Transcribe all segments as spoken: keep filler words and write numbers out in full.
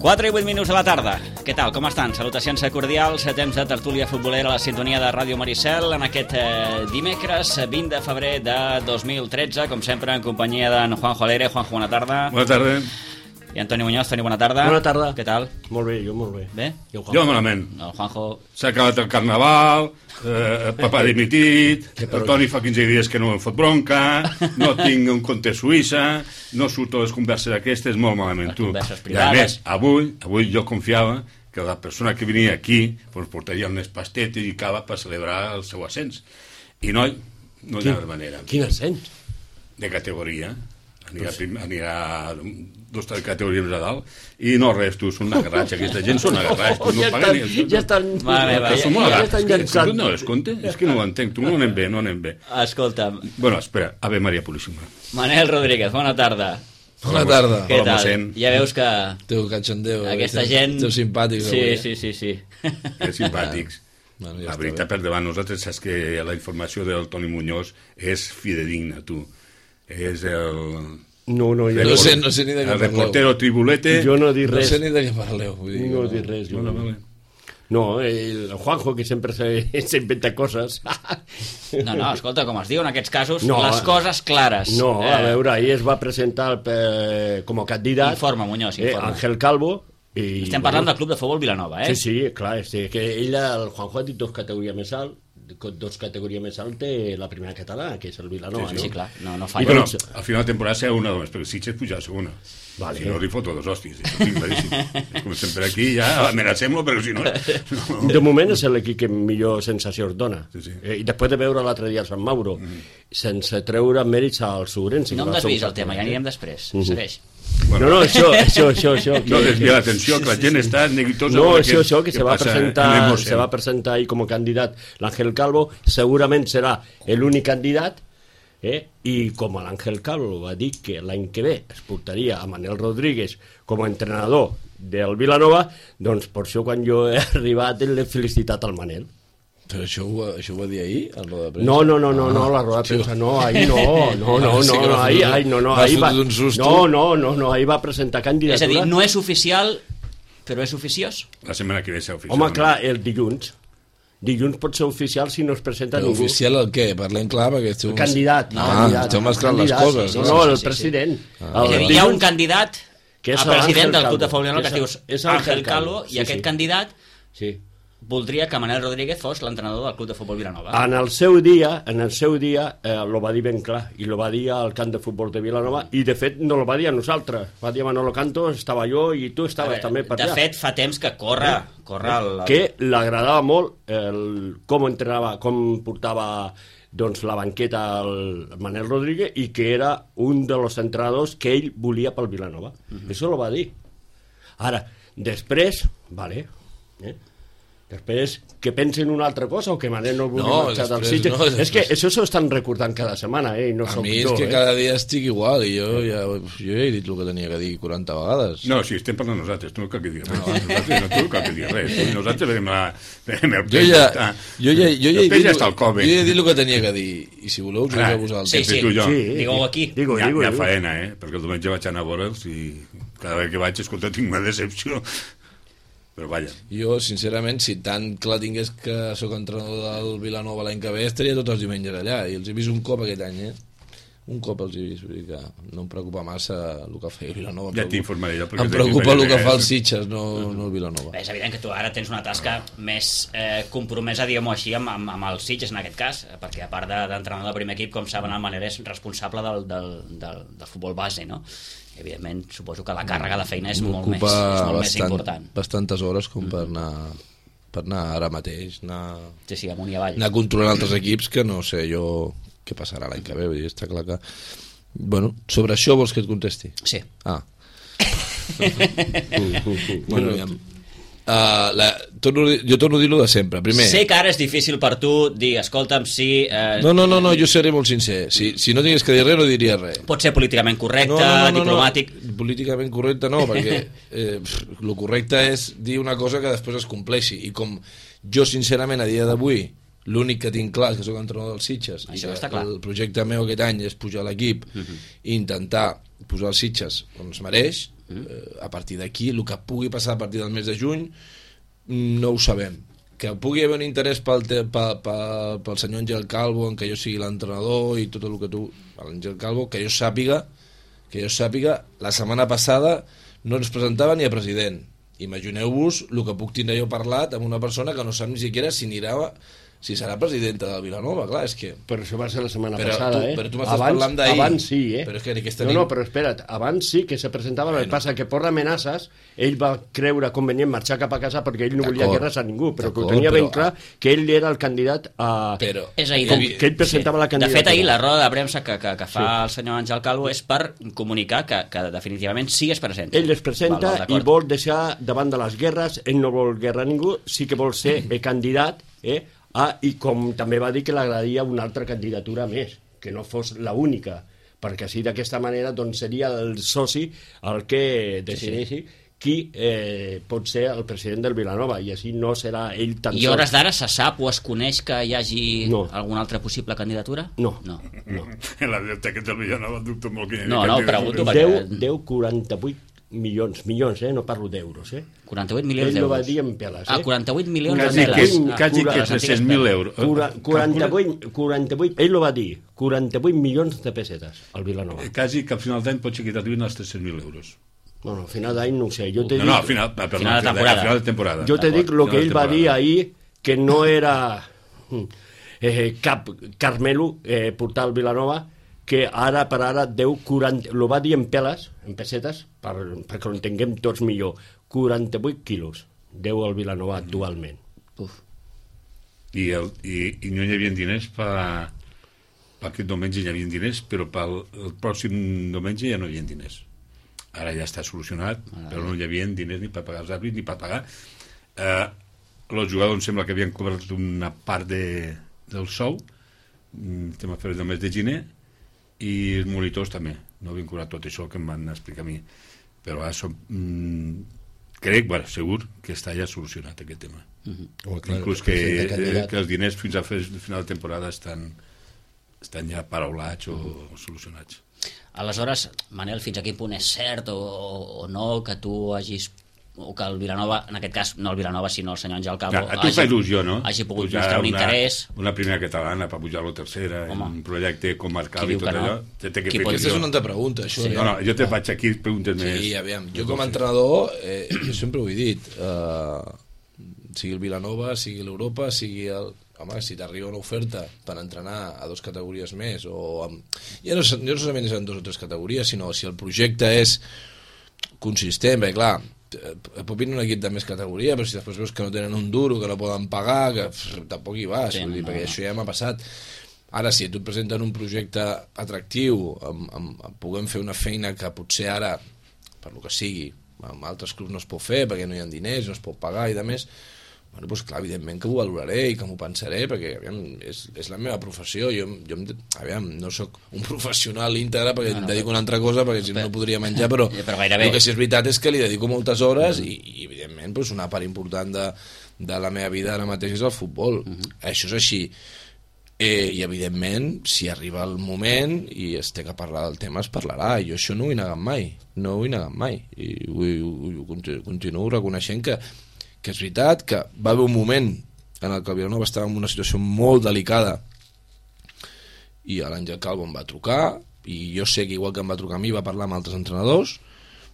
quatre i vuit minuts de la tarda. Què tal, com estan? Salutacions cordials, temps de tertúlia futbolera a la sintonia de Ràdio Maricel en aquest eh, dimecres vint de febrer de dos mil tretze, com sempre en companyia d'en Juanjo Alegre. Juanjo, bona tarda. Bona tarda. I Antoni Muñoz. Toni, bona tarda. Bona tarda. Què tal? Molt bé, jo molt bé. Bé? Jo malament. El Juanjo... S'ha acabat el carnaval, eh, papà dimitit, el Toni fa quinze dies que no em fot bronca, no tinc un compte a Suïssa, no surto les converses aquestes, molt malament, tu. Les converses I a privades. més, avui, avui jo confiava que la persona que venia aquí pues, portaria unes pastetes i cava per celebrar el seu ascens. I no, no hi ha manera. Quin ascens? De categoria. Anirà, prim, anirà dos categories més a dalt i no res, tu, són agarrats, aquesta gent són agarrats, tu no ja paguen estan, ni... ja estan, Vale, va, ja, Som ja, ja agarrats, estan és que llançant. tu no les comptes, és que no ho entenc, tu no anem bé, no anem bé. Escolta'm, Bueno, espera, Ave Maria Puríssima. Manel Rodríguez, bona tarda. Bona tarda. Què Hola, tal? mossèn. Ja veus que Teu cachondeo. aquesta teu, gent... Teu simpàtics. Sí, avui, eh? sí, sí, sí. Que simpàtics. Bueno, ja La està veritat, bé. per davant, nosaltres saps que la informació del Toni Muñoz és fidedigna, tu. És el... No, no, jo No no, sé, no sé ni de què El parleu. reportero tribulete... jo no dic No res. sé ni de què parleu. Vull dir, No dic res. Jo. Bueno, vale. No, el Juanjo, que sempre se- s'inventa coses. No, no, escolta, com es diu en aquests casos, No, les eh. coses clares. No, a Eh, veure, ahir es va presentar per, com a candidat Informa, Muñoz, eh, informa. Ángel Calvo. I, Estem parlant del Club de Futbol Vilanova, eh? Sí, sí, clar, és que ell, el Juanjo ha dit dos categories més alt, dos categories més alt té la primera catalana, que és el Vilanova, Sí, no? Sí, clar, no, no I falla. bueno, doncs- al final de temporada serà una només, perquè Sitges puja a segona. Vale. Si no, li foto dos hòsties, això ho tinc claríssim. És com sempre aquí, ja amenacem-lo, però si no... no. De moment és l'equip que millor sensacions dona. Sí, sí. Eh, I després de veure l'altre dia a Sant Mauro, mm. sense treure mèrits al Surensi. No em desvis el tema, ja anirem després. Segueix. No, no, això, això, això, això. No desvia l'atenció, que la gent està neguitosa. No, per això, què- això, que què se va, passa presentar, en Emosen. se va presentar ahí com a candidat l'Àngel Calvo, segurament serà l'únic candidat, eh? I com l'Àngel Calvo va dir que l'any que ve es portaria a Manel Rodríguez com a entrenador del Vilanova, doncs per això quan jo he arribat l'he felicitat al Manel. Però això ho, va- això ho va dir ahir, al roda de premsa? No, no, no, no, no, la roda de premsa, no, ahir no, no, no, Ah, sí no, que no, m'ha ahir, fotut- ahir, no, no, m'ha ahir va, fotut un susto. no, no, no, no, ahir va presentar candidatura. És a dir, no és oficial, però és oficiós. La setmana que ve serà oficial. Home, clar, el dilluns, dilluns pot ser oficial si no es presenta Però ningú. oficial el què? Parlem clar, perquè esteu... El candidat, Ah, candidat, esteu mesclant les candidat, coses, no, no? no, el Sí, sí, sí. president. Ah. El És a dir, hi ha un dilluns, candidat que és a president l'Àngel del Club de Calvo. Futbol Vilanova que es És- diu és Ángel Ángel Calvo, Calvo, i sí, aquest sí. candidat sí. voldria que Manel Rodríguez fos l'entrenador del Club de Futbol Vilanova. En el seu dia, en el seu dia, eh, lo va dir ben clar, i lo va dir al camp de futbol de Vilanova, i de fet no lo va dir a nosaltres, va dir a Manolo Canto, estava jo i tu estaves també per de allà. fet, fa temps que corre, corre el... el- Que l'agradava molt el, com entrenava, com portava doncs, la banqueta al Manel Rodríguez i que era un dels entrenadors que ell volia pel Vilanova. Uh-huh. Això lo va dir. Ara, després, vale, eh? Després, que pensen una altra cosa o que Manel no vulgui No, marxar del després Sitges. no, és que després- això s'ho estan recordant cada setmana, eh? I no A soc mi és jo, que eh? cada dia estic igual i jo ja, jo ja he dit el que tenia que dir quaranta vegades. No, sí, estem parlant nosaltres, tu no cal que diguis res. Nosaltres, no, tu no cal que diguis res. Nosaltres venim a... Venim a Jo ja, jo ja, jo ja, he El peix dit, ja està al cove. jo ja he dit el que tenia que dir i si voleu us ho Clar, dic a vosaltres. Sí, sí, tu i jo. Sí, digueu aquí. Digo, Hi ha, digo, hi ha digo. faena, eh? Perquè el diumenge vaig anar a veure'ls i cada vegada que vaig, escolta, tinc una decepció. Però vaja. Jo, sincerament, si tant clar tingués que sóc entrenador del Vilanova l'any que ve, estaria tots els diumenges allà. I els he vist un cop aquest any, eh? Un cop els he vist, vull dir que no em preocupa massa el que feia Vilanova. Em Ja preocupa- t'informaré jo. perquè Em t'he preocupa dit el que que fa és- el Sitges, no, no el Vilanova. Bé, és evident que tu ara tens una tasca més eh, compromesa, diguem-ho així, amb, amb, amb el Sitges en aquest cas, eh, perquè a part de- d'entrenador de primer equip, com saben, el Manel és responsable del, del, del, del futbol base, no? Evidentment, suposo que la càrrega de feina és molt, més, és molt més important. bastantes hores com per anar, per anar ara mateix, anar, Sí, sí, amunt i avall. anar controlant altres equips que no sé jo què passarà l'any que ve, vull dir, està clar que... Bueno, sobre això vols que et contesti? Sí. Ah. bueno, ja... Uh, la, torno, a dir- jo torno a dir-lo de sempre. Primer, Sé que ara és difícil per tu dir, escolta'm, si... Eh, no, no, no, no, jo seré molt sincer. Si, si no tingués que dir res, no diria res. Pot ser políticament correcte, no, no, no, diplomàtic... No, políticament correcte no, perquè eh, pff, lo correcte és dir una cosa que després es compleixi. I com jo, sincerament, a dia d'avui, l'únic que tinc clar és que soc entrenador dels Sitges i Això que està clar. el projecte meu aquest any és pujar l'equip Mhm. i intentar posar els Sitges on es mereix, Mm. Eh, a partir d'aquí, el que pugui passar a partir del mes de juny, no ho sabem. Que pugui haver un interès pel, te, pel, pel, pel senyor Àngel Calvo en que jo sigui l'entrenador i tot el que tu... L'Àngel Calvo, que jo sàpiga, que jo sàpiga, la setmana passada no ens presentava ni a president. Imagineu-vos el que puc tindre jo parlat amb una persona que no sap ni siquiera si anirà... si serà presidenta del Vilanova, clar, és que... Però això va ser la setmana però passada, tu, eh? Però tu m'estàs abans, parlant d'ahir. Abans sí, eh? Però és que aquesta no, nit... no, però espera't, abans sí que se presentava, bueno. El que passa que per amenaces ell va creure convenient marxar cap a casa perquè ell no volia guerres a ningú, però que ho tenia ben clar que ell era el candidat a... Però... És ahir, com, que ell presentava sí. la candidatura. De fet, ahir la roda de premsa que, que, que fa sí. el senyor Àngel Calvo és per comunicar que, que definitivament sí es presenta. Ell es presenta val, val, i vol deixar davant de les guerres, ell no vol guerra a ningú, sí que vol ser el candidat, eh? Ah, i com també va dir que l'agradaria una altra candidatura més, que no fos la única, perquè així d'aquesta manera doncs, seria el soci el que decideixi sí, sí. qui eh, pot ser el president del Vilanova, i així no serà ell tan I hores d'ara se sap o es coneix que hi hagi no. alguna altra possible candidatura? No. No. no. En la biblioteca del Vilanova dubto molt que hi hagi no, no, pregunto perquè... deu quaranta-vuit milions, milions, eh? No parlo d'euros, eh? quaranta-vuit milions d'euros. Ell d'euros. va dir en peles, eh? Ah, quaranta-vuit milions quasi de peles. Que, quasi ah, que tres-cents mil euros. quaranta-vuit, quaranta-vuit, ell ho va dir, quaranta-vuit milions de pessetes al Vilanova. Quasi que al final d'any pot ser que t'arribin els tres-cents mil euros. Bueno, al final d'any no ho sé. Jo te no, dic, no, al final, perdó, final, de temporada. Al final de temporada. Jo te dic el que ell va dir ahir, que no era eh, cap Carmelo eh, portar al Vilanova, que ara per ara deu quaranta, lo va dir en peles, en pessetes, per, perquè ho entenguem tots millor, quaranta-vuit quilos deu al Vilanova actualment. Uf. I, el, i, i no hi havia diners per, per aquest diumenge hi havia diners, però pel el pròxim diumenge ja no hi havia diners. Ara ja està solucionat, ah, però no hi havia diners ni per pagar els àrbits ni per pagar. Eh, els jugadors em sembla que havien cobrat una part de, del sou, estem a fer el mes de gener, i els monitors també no havien cobrat tot això que em van explicar a mi, però ara som, mmm, crec, bueno, segur que està ja solucionat aquest tema. Uh-huh. Inclús que, eh, que els diners fins a final de temporada estan, estan ja paraulats o, uh-huh. o solucionats. Aleshores, Manel, fins a quin punt és cert o, o no que tu hagis o que el Vilanova, en aquest cas no el Vilanova sinó el senyor Àngel Calvo, ja, a tu hagi, fa il·lusió, no? hagi pogut pujar mostrar un una, interès una primera catalana per pujar a la tercera. Home, un projecte comarcal i tot no? allò té, té que Qui fer pot... Aquesta és una altra pregunta, això. Sí. No, no, jo te faig aquí preguntes sí, més. Sí, aviam, jo com a entrenador eh, jo sempre ho he dit, eh, sigui el Vilanova, sigui l'Europa, sigui el... Home, si t'arriba una oferta per entrenar a dues categories més o amb... ja no, no solament és en dues o tres categories, sinó si el projecte és consistent, perquè clar, pot venir un equip de més categoria, però si després veus que no tenen un duro, que no poden pagar, que pff, tampoc hi vas, sí, dir, no, perquè no. Això ja m'ha passat. Ara, si tu et presenten un projecte atractiu, amb, amb, amb, puguem fer una feina que potser ara, per lo que sigui, amb altres clubs no es pot fer, perquè no hi ha diners, no es pot pagar i de més, bueno, doncs clar, evidentment que ho valoraré i que m'ho pensaré, perquè aviam, és, és la meva professió, jo, jo aviam, no sóc un professional íntegre perquè no, no, em dedico a una altra cosa, perquè si no, no podria menjar, però, però el que sí és veritat és que li dedico moltes hores mm. i, i evidentment doncs, una part important de, de la meva vida ara mateix és el futbol, mm -hmm. Això és així. Eh, i evidentment si arriba el moment i es té que parlar del tema es parlarà, i jo això no ho he negat mai, no ho he negat mai i ho, ho, ho continuo reconeixent que que és veritat que va haver un moment en el que el Vilanova estava en una situació molt delicada i l'Àngel Calvo em va trucar i jo sé que igual que em va trucar a mi va parlar amb altres entrenadors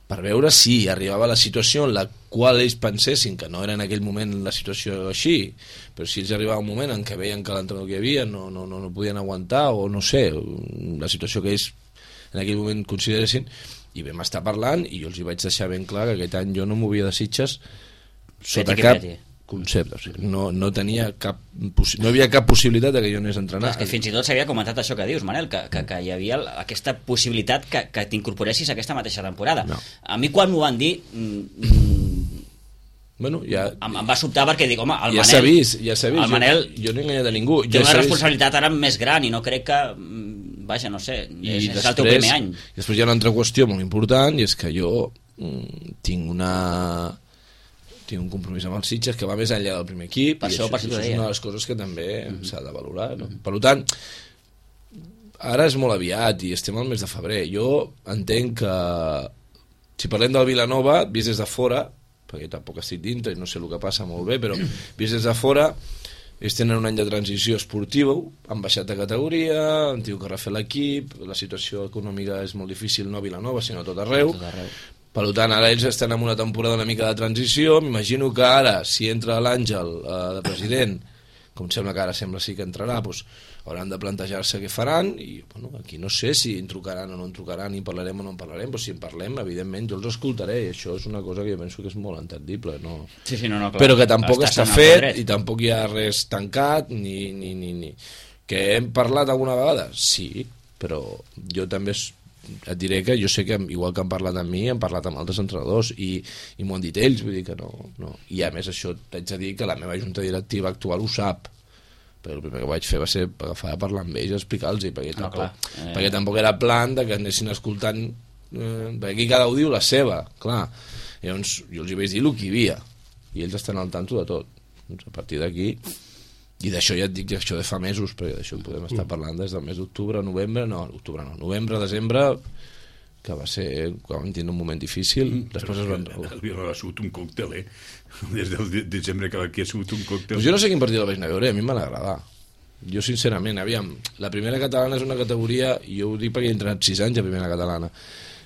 per veure si arribava la situació en la qual ells pensessin que no era en aquell moment la situació així, però si ells arribava un moment en què veien que l'entrenador que hi havia no, no, no, no podien aguantar o no sé, la situació que ells en aquell moment consideressin, i vam estar parlant i jo els hi vaig deixar ben clar que aquest any jo no movia de Sitges sota cap concepte, o sigui, no, no tenia cap no hi havia cap possibilitat de que jo anés a entrenar. És que fins i tot s'havia comentat això que dius, Manel, que, que, que hi havia aquesta possibilitat que, que t'incorporessis aquesta mateixa temporada. No. A mi quan m'ho van dir mm, bueno, ja, em, em va sobtar perquè dic, home, el ja Manel s'ha vist, ja s'ha vist, el Manel jo, jo no he enganyat a ningú, té ja una vist. responsabilitat ara més gran i no crec que vaja, no sé, I és, després, és el teu primer any. Després hi ha una altra qüestió molt important i és que jo mm, tinc una tinc un compromís amb els Sitges que va més enllà del primer equip per i això, això, per això és una de les coses que també mm-hmm. s'ha de valorar, no? Mm-hmm. Per tant, ara és molt aviat i estem al mes de febrer. Jo entenc que si parlem del Vilanova, vist des de fora, perquè tampoc estic dintre i no sé el que passa molt bé, però vist des de fora, ells tenen un any de transició esportiva, han baixat de categoria, han tingut que refer l'equip, la situació econòmica és molt difícil, no a Vilanova, sinó a tot arreu. Tot arreu. Per tant, ara ells estan en una temporada una mica de transició. M'imagino que ara, si entra l'Àngel eh, de president, com sembla que ara sembla sí que entrarà, doncs hauran de plantejar-se què faran i bueno, aquí no sé si en trucaran o no en trucaran, i parlarem o no en parlarem, però si en parlem, evidentment, jo els escoltaré, i això és una cosa que jo penso que és molt entendible, no? Sí, sí, no, no, clar. Però que tampoc Estàs està en el fet dret. i tampoc hi ha res tancat, ni, ni, ni, ni. Que hem parlat alguna vegada? Sí, però jo també et diré que jo sé que igual que han parlat amb mi, han parlat amb altres entrenadors i, i m'ho han dit ells, vull dir que no, no. I a més això t'haig de dir que la meva junta directiva actual ho sap, perquè el primer que vaig fer va ser agafar a parlar amb ells i explicar-los, perquè, No, tampoc, clar. Eh. perquè tampoc era plan de que anessin escoltant, eh, perquè aquí cada un diu la seva, clar. Llavors jo els hi vaig dir el que hi havia i ells estan al tanto de tot. Doncs a partir d'aquí, i d'això ja et dic, això de fa mesos, perquè d'això podem estar parlant des del mes d'octubre, novembre, no, octubre no, novembre, desembre, que va ser, quan vam tindre un moment difícil, després es van... El Vilanova ha sigut un còctel, eh? Des del de desembre que aquí ha sigut un còctel. Pues jo no sé quin partit el vaig anar a veure, a mi em van agradar. Jo, sincerament, aviam, la primera catalana és una categoria, i jo ho dic perquè he entrenat sis anys a primera catalana,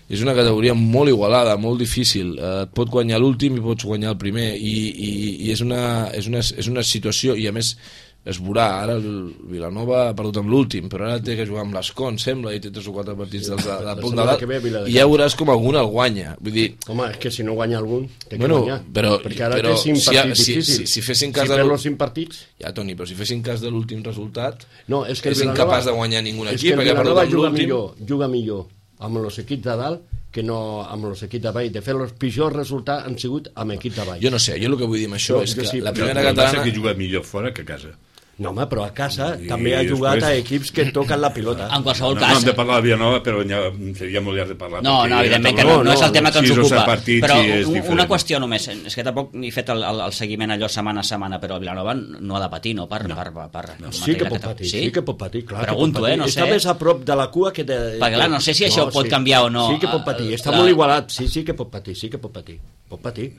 és una categoria molt igualada, molt difícil, eh, et pot guanyar l'últim i pots guanyar el primer, i, i, i és, una, és, una, és una situació, i a més es veurà, ara el Vilanova ha perdut amb l'últim, però ara té que jugar amb l'Escon, sembla, i té tres o quatre partits dels de, de punt de dalt, i ja veuràs com algun el guanya. Vull dir, home, és que si no guanya algun, té bueno, que guanyar. però, perquè ara però té cinc si, partits si, difícils. si, si fessin cas si de perd l'ú- els cinc partits... ja, Toni, però si fessin cas de l'últim resultat, No, és que el és Vilanova- incapaç de guanyar ningun és equip, que el perquè ha perdut Vilanova amb juga l'últim. millor, juga millor amb els equips de dalt que no amb els equips de baix. De fet, els pitjors resultats han sigut amb equips de baix. Jo no sé, jo el que vull dir amb això Jo- és jo que sí, la però- primera El que passa catalana... que juga millor fora que a casa. No, home, però a casa I també ha jugat després- a equips que toquen la pilota. En qualsevol No, cas... no hem de parlar de Vilanova, però ja seria molt llarg de parlar. No, perquè no, ja evidentment que parlem- no, no és el tema que ens sis o set ocupa. partits Però i és un- diferent. una qüestió només, és que tampoc n'he fet el, el, el seguiment allò setmana a setmana, però el Vilanova no ha de patir, no? Per, no. per, per, per no. Sí que pot patir, sí? sí que pot patir, clar. Pregunto, que pot patir. eh, no Està sé. més a prop de la cua que de... Perquè, clar, no sé si això pot canviar o no. Sí que pot patir, està La- molt igualat, sí, sí que pot patir, sí que pot patir. Pot patir,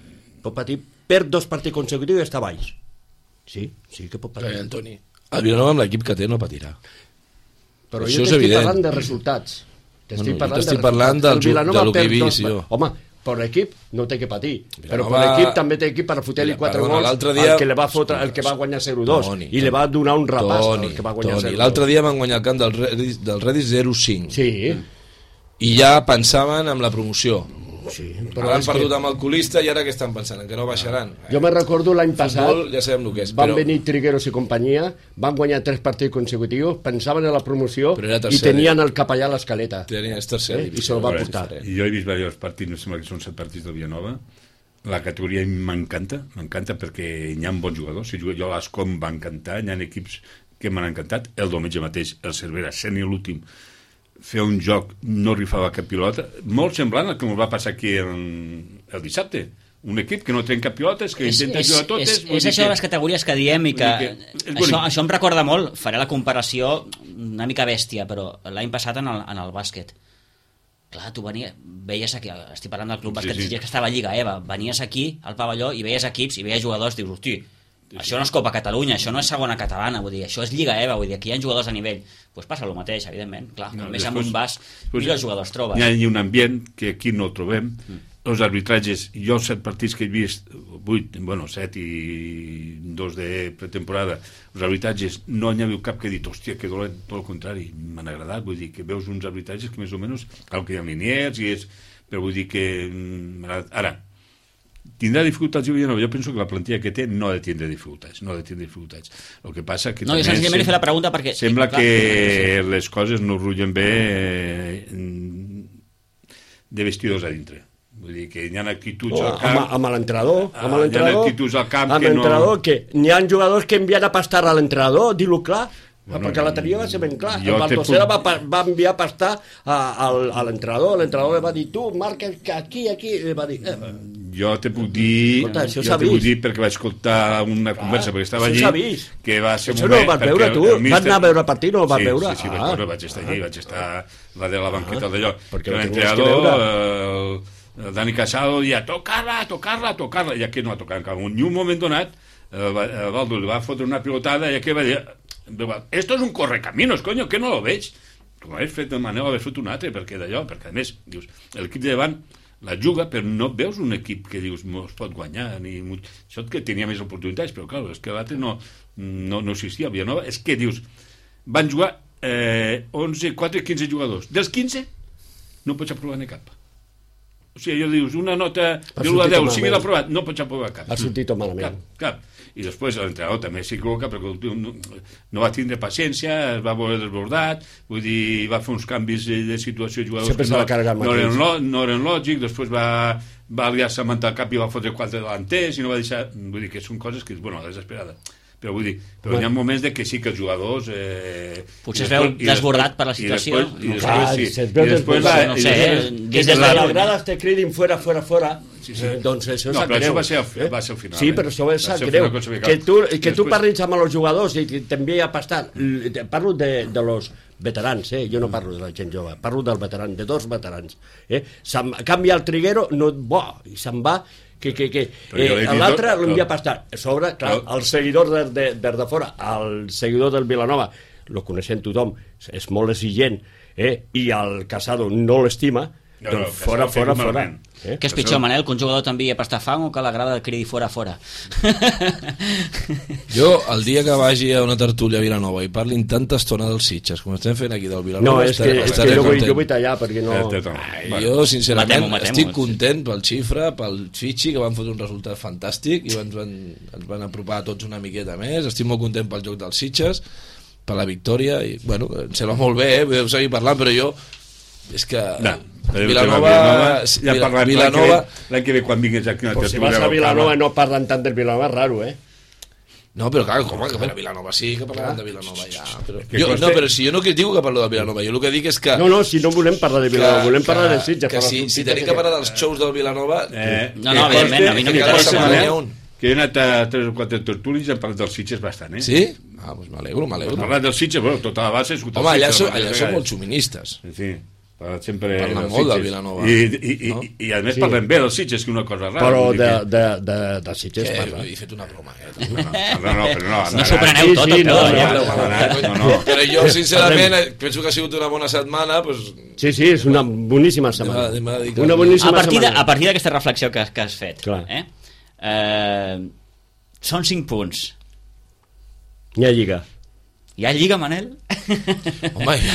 pot patir. Per dos partits consecutius i està baix. Sí, sí que pot patir. Perquè, Antoni, el Vilanova amb l'equip que té no patirà. Però Això jo és t'estic evident. parlant de resultats. T'estic Bueno, jo parlant, t'estic de parlant resultats. del El ju- Vilanova de lo que he perd dos- vist jo. Home, per l'equip no té que patir, però Vilanova- per l'equip també té equip per fotre-li Mira, quatre perdona, gols l'altre dia- al que, le va fotre, el que va guanyar zero dos Toni, i li va donar un repàs Toni, al que va guanyar Toni, zero dos. l'altre dia van guanyar el camp del Redis, del Redis zero cinc. Sí, I ja pensaven en la promoció. sí. Però Però han és perdut que amb el colista i ara què estan pensant? En que no baixaran? jo me recordo l'any passat, Futbol, ja sabem el que és. van però... venir Trigueros i companyia, van guanyar tres partits consecutius, pensaven en la promoció Però era i tercer, tenien el capellà a l'escaleta. Tenia és tercer. Eh? I se'l va portar. I jo he vist diversos partits, no sembla que són set partits del Vilanova. La categoria m'encanta, m'encanta perquè hi ha bons jugadors. Si jo a l'Escom va encantar, hi ha equips que m'han encantat. El diumenge mateix, el Cervera, sent l'últim, fer un joc, no rifava cap pilota, molt semblant al que ens va passar aquí el, el dissabte. Un equip que no trenca pilotes, que És, intenta és, jugar totes... és, vull és dir això que- de les categories que diem i que, vull dir que és això, bonic. això em recorda molt, faré la comparació una mica bèstia, però l'any passat en el, en el bàsquet, clar, tu venies, veies aquí, estic parlant del club Sí, bàsquet sí. Sitges, que estava a Lliga Eva, venies aquí al pavelló i veies equips i veies jugadors, dius, hosti, això no és Copa Catalunya, això no és segona catalana, vull dir, això és Lliga Eva, vull dir, aquí hi ha jugadors a nivell, doncs pues passa el mateix, evidentment, clar, No, no, més amb després- un vas, després millors jugadors trobes. Hi ha un ambient que aquí no el trobem. Mm. Els arbitratges, jo els set partits que he vist, vuit, bueno, set i dos de pretemporada, els arbitratges no n'hi ha hagut cap que he dit, hòstia, que dolent, tot el contrari, m'han agradat, vull dir, que veus uns arbitratges que més o menys, cal que hi ha liniers, i és, però vull dir que mm, m'ha agradat. Ara, tindrà dificultats el Vilanova? Jo penso que la plantilla que té no ha de tindre dificultats, no ha de tindre dificultats. El que passa que No, jo també senzillament li sem- fer la pregunta perquè... sembla clar, que les coses no rullen bé eh, de vestidors a dintre. Vull dir que hi ha actituds No, al camp... amb, amb l'entrenador, Ah, amb hi ha l'entrenador, actituds al camp amb que no- l'entrenador, que n'hi ha jugadors que envien a pastar a l'entrenador, dir-ho clar, Bueno, perquè l'altre dia va ser ben clar. jo El te Baldocera puc- va, pa- va enviar a pastar a, a, a l'entrenador, l'entrenador li va dir, tu, marca aquí, aquí, i va dir... Eh, Jo te puc dir, Escolta, això jo s'ha te puc vist. dir perquè vaig escoltar una conversa, perquè estava això allí, s'ha vist. que va ser un Això no ho moment, vas perquè veure, el- tu? el Vas míster- anar a veure el partit, no ho vas sí, veure? Sí, sí, vaig, Ah. veure, vaig estar allí, vaig estar va de la banqueta d'allò, perquè que ho tenies que l'entrenador, veure. el, el Dani Casado deia tocar-la, tocar-la, tocar-la, i aquí no ha tocat ni un moment donat. El Baldo li va fotre una pilotada i aquí va dir esto es un correcaminos, coño, que no lo veig? Com hagués fet el Manel, hagués fet un altre, perquè d'allò, perquè a més dius, l'equip de davant la juga, però no veus un equip que dius es pot guanyar, ni això que tenia més oportunitats, però clar, és que l'altre no, no, no existia. Villanova és que dius, van jugar eh, onze, quatre, quinze jugadors, dels quinze no pots aprovar ni cap. O sigui, allò dius, una nota de l'u a deu, si l'ha aprovat, no pots aprovar cap. Ha sortit malament. Cap, cap. I després l'entrenador també s'equivoca perquè no, no va tindre paciència, es va veure desbordat, vull dir, va fer uns canvis de situació de jugadors que no, no, eren, no eren lògics, després va, va liar-se amb el cap i va fotre quatre delanters i no va deixar... Vull dir que són coses que, bueno, desesperada. Però vull dir, però hi ha moments de que sí que els jugadors... Eh, potser es veu desbordat per la situació. I després, i després, sí. I després la, no sé, des de les grades te cridin fora, fora, fora, sí, sí. doncs això no, sap greu. Això va ser, eh? va ser al final. Sí, però això va ser greu. Que tu, que tu parlis amb els jugadors i també ha passat. Parlo de, de los veterans, eh? Jo no parlo de la gent jove, parlo del veteran, de dos veterans. Eh? Canvia el triguero, no, bo, i se'n va... que, que, que eh, l'altre l'havia passat a sobre, clar, el seguidor de, de, de, de fora, el seguidor del Vilanova lo coneixem tothom, és molt exigent, eh? I el Casado no l'estima, no, doncs no, fora, fora, fora. Eh? Què és pitjor, Manel, que un jugador t'envia a pastar fang o que la grada cridi fora, fora? Jo, el dia que vagi a una tertúlia a Vilanova i parlin tanta estona dels Sitges, com estem fent aquí del Vilanova... No, és que, és que jo, vull, jo vull tallar, perquè no... Ai, jo, sincerament, matemo, matemo, estic content pel xifra, pel Fitxi, que van fotre un resultat fantàstic i ens van, ens van apropar a tots una miqueta més. Estic molt content pel joc dels Sitges, per la victòria, i, bueno, em sembla molt bé, eh? Podem seguir parlant, però jo... És que... No. Vilanova, Vilanova, ja Vilanova, Vilanova l'any que ve quan vinguis aquí pues si vas a Vilanova no parlen tant del Vilanova, és raro, eh? No, però clar, com que per a Vilanova sí que parlem de Vilanova ja, però... Jo, no, però si jo no critico que parlo de Vilanova, jo el que dic és que... No, no, si no volem parlar de Vilanova, que, volem parlar de Sitges. Que si, si tenim que parlar dels xous del Vilanova... Eh, no, no, evidentment, a mi no m'interessa. Que he anat a tres o quatre tertúlies i hem parlat dels Sitges bastant, eh? Sí? Ah, doncs m'alegro, m'alegro. Hem parlat dels Sitges, bueno, tota la base... Home, allà són molt xuministes. Sí, sempre parlen molt del Vilanova i, i, i, no? i, i a més sí. Parlem bé dels Sitges, que una cosa rara, però de, de, de, de Sitges que, parla. He fet una broma eh? no, no, no, però no, no s'ho preneu tot, sí, no, no, no, no. Però jo sincerament penso que ha sigut una bona setmana, pues... sí, sí, és una boníssima setmana, una boníssima a partir de, a partir d'aquesta reflexió que, que has fet, eh? Eh, són cinc punts, hi ha lliga. Hi ha lliga, Manel? Home, hi